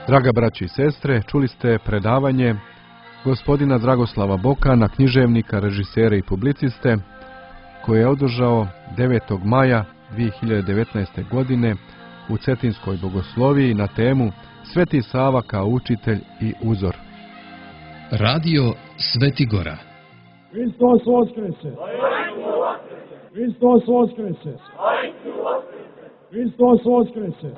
Draga braći i sestre, čuli ste predavanje gospodina Dragoslava Bokana, književnika, režisera i publiciste, koje je održao devetog maja dvije hiljade devetnaeste. godine u Cetinskoj bogosloviji na temu Sveti Sava kao učitelj i uzor. Radio Sveti Gora. Hristos Voskrese! Hristos Voskrese! Hristos Voskrese!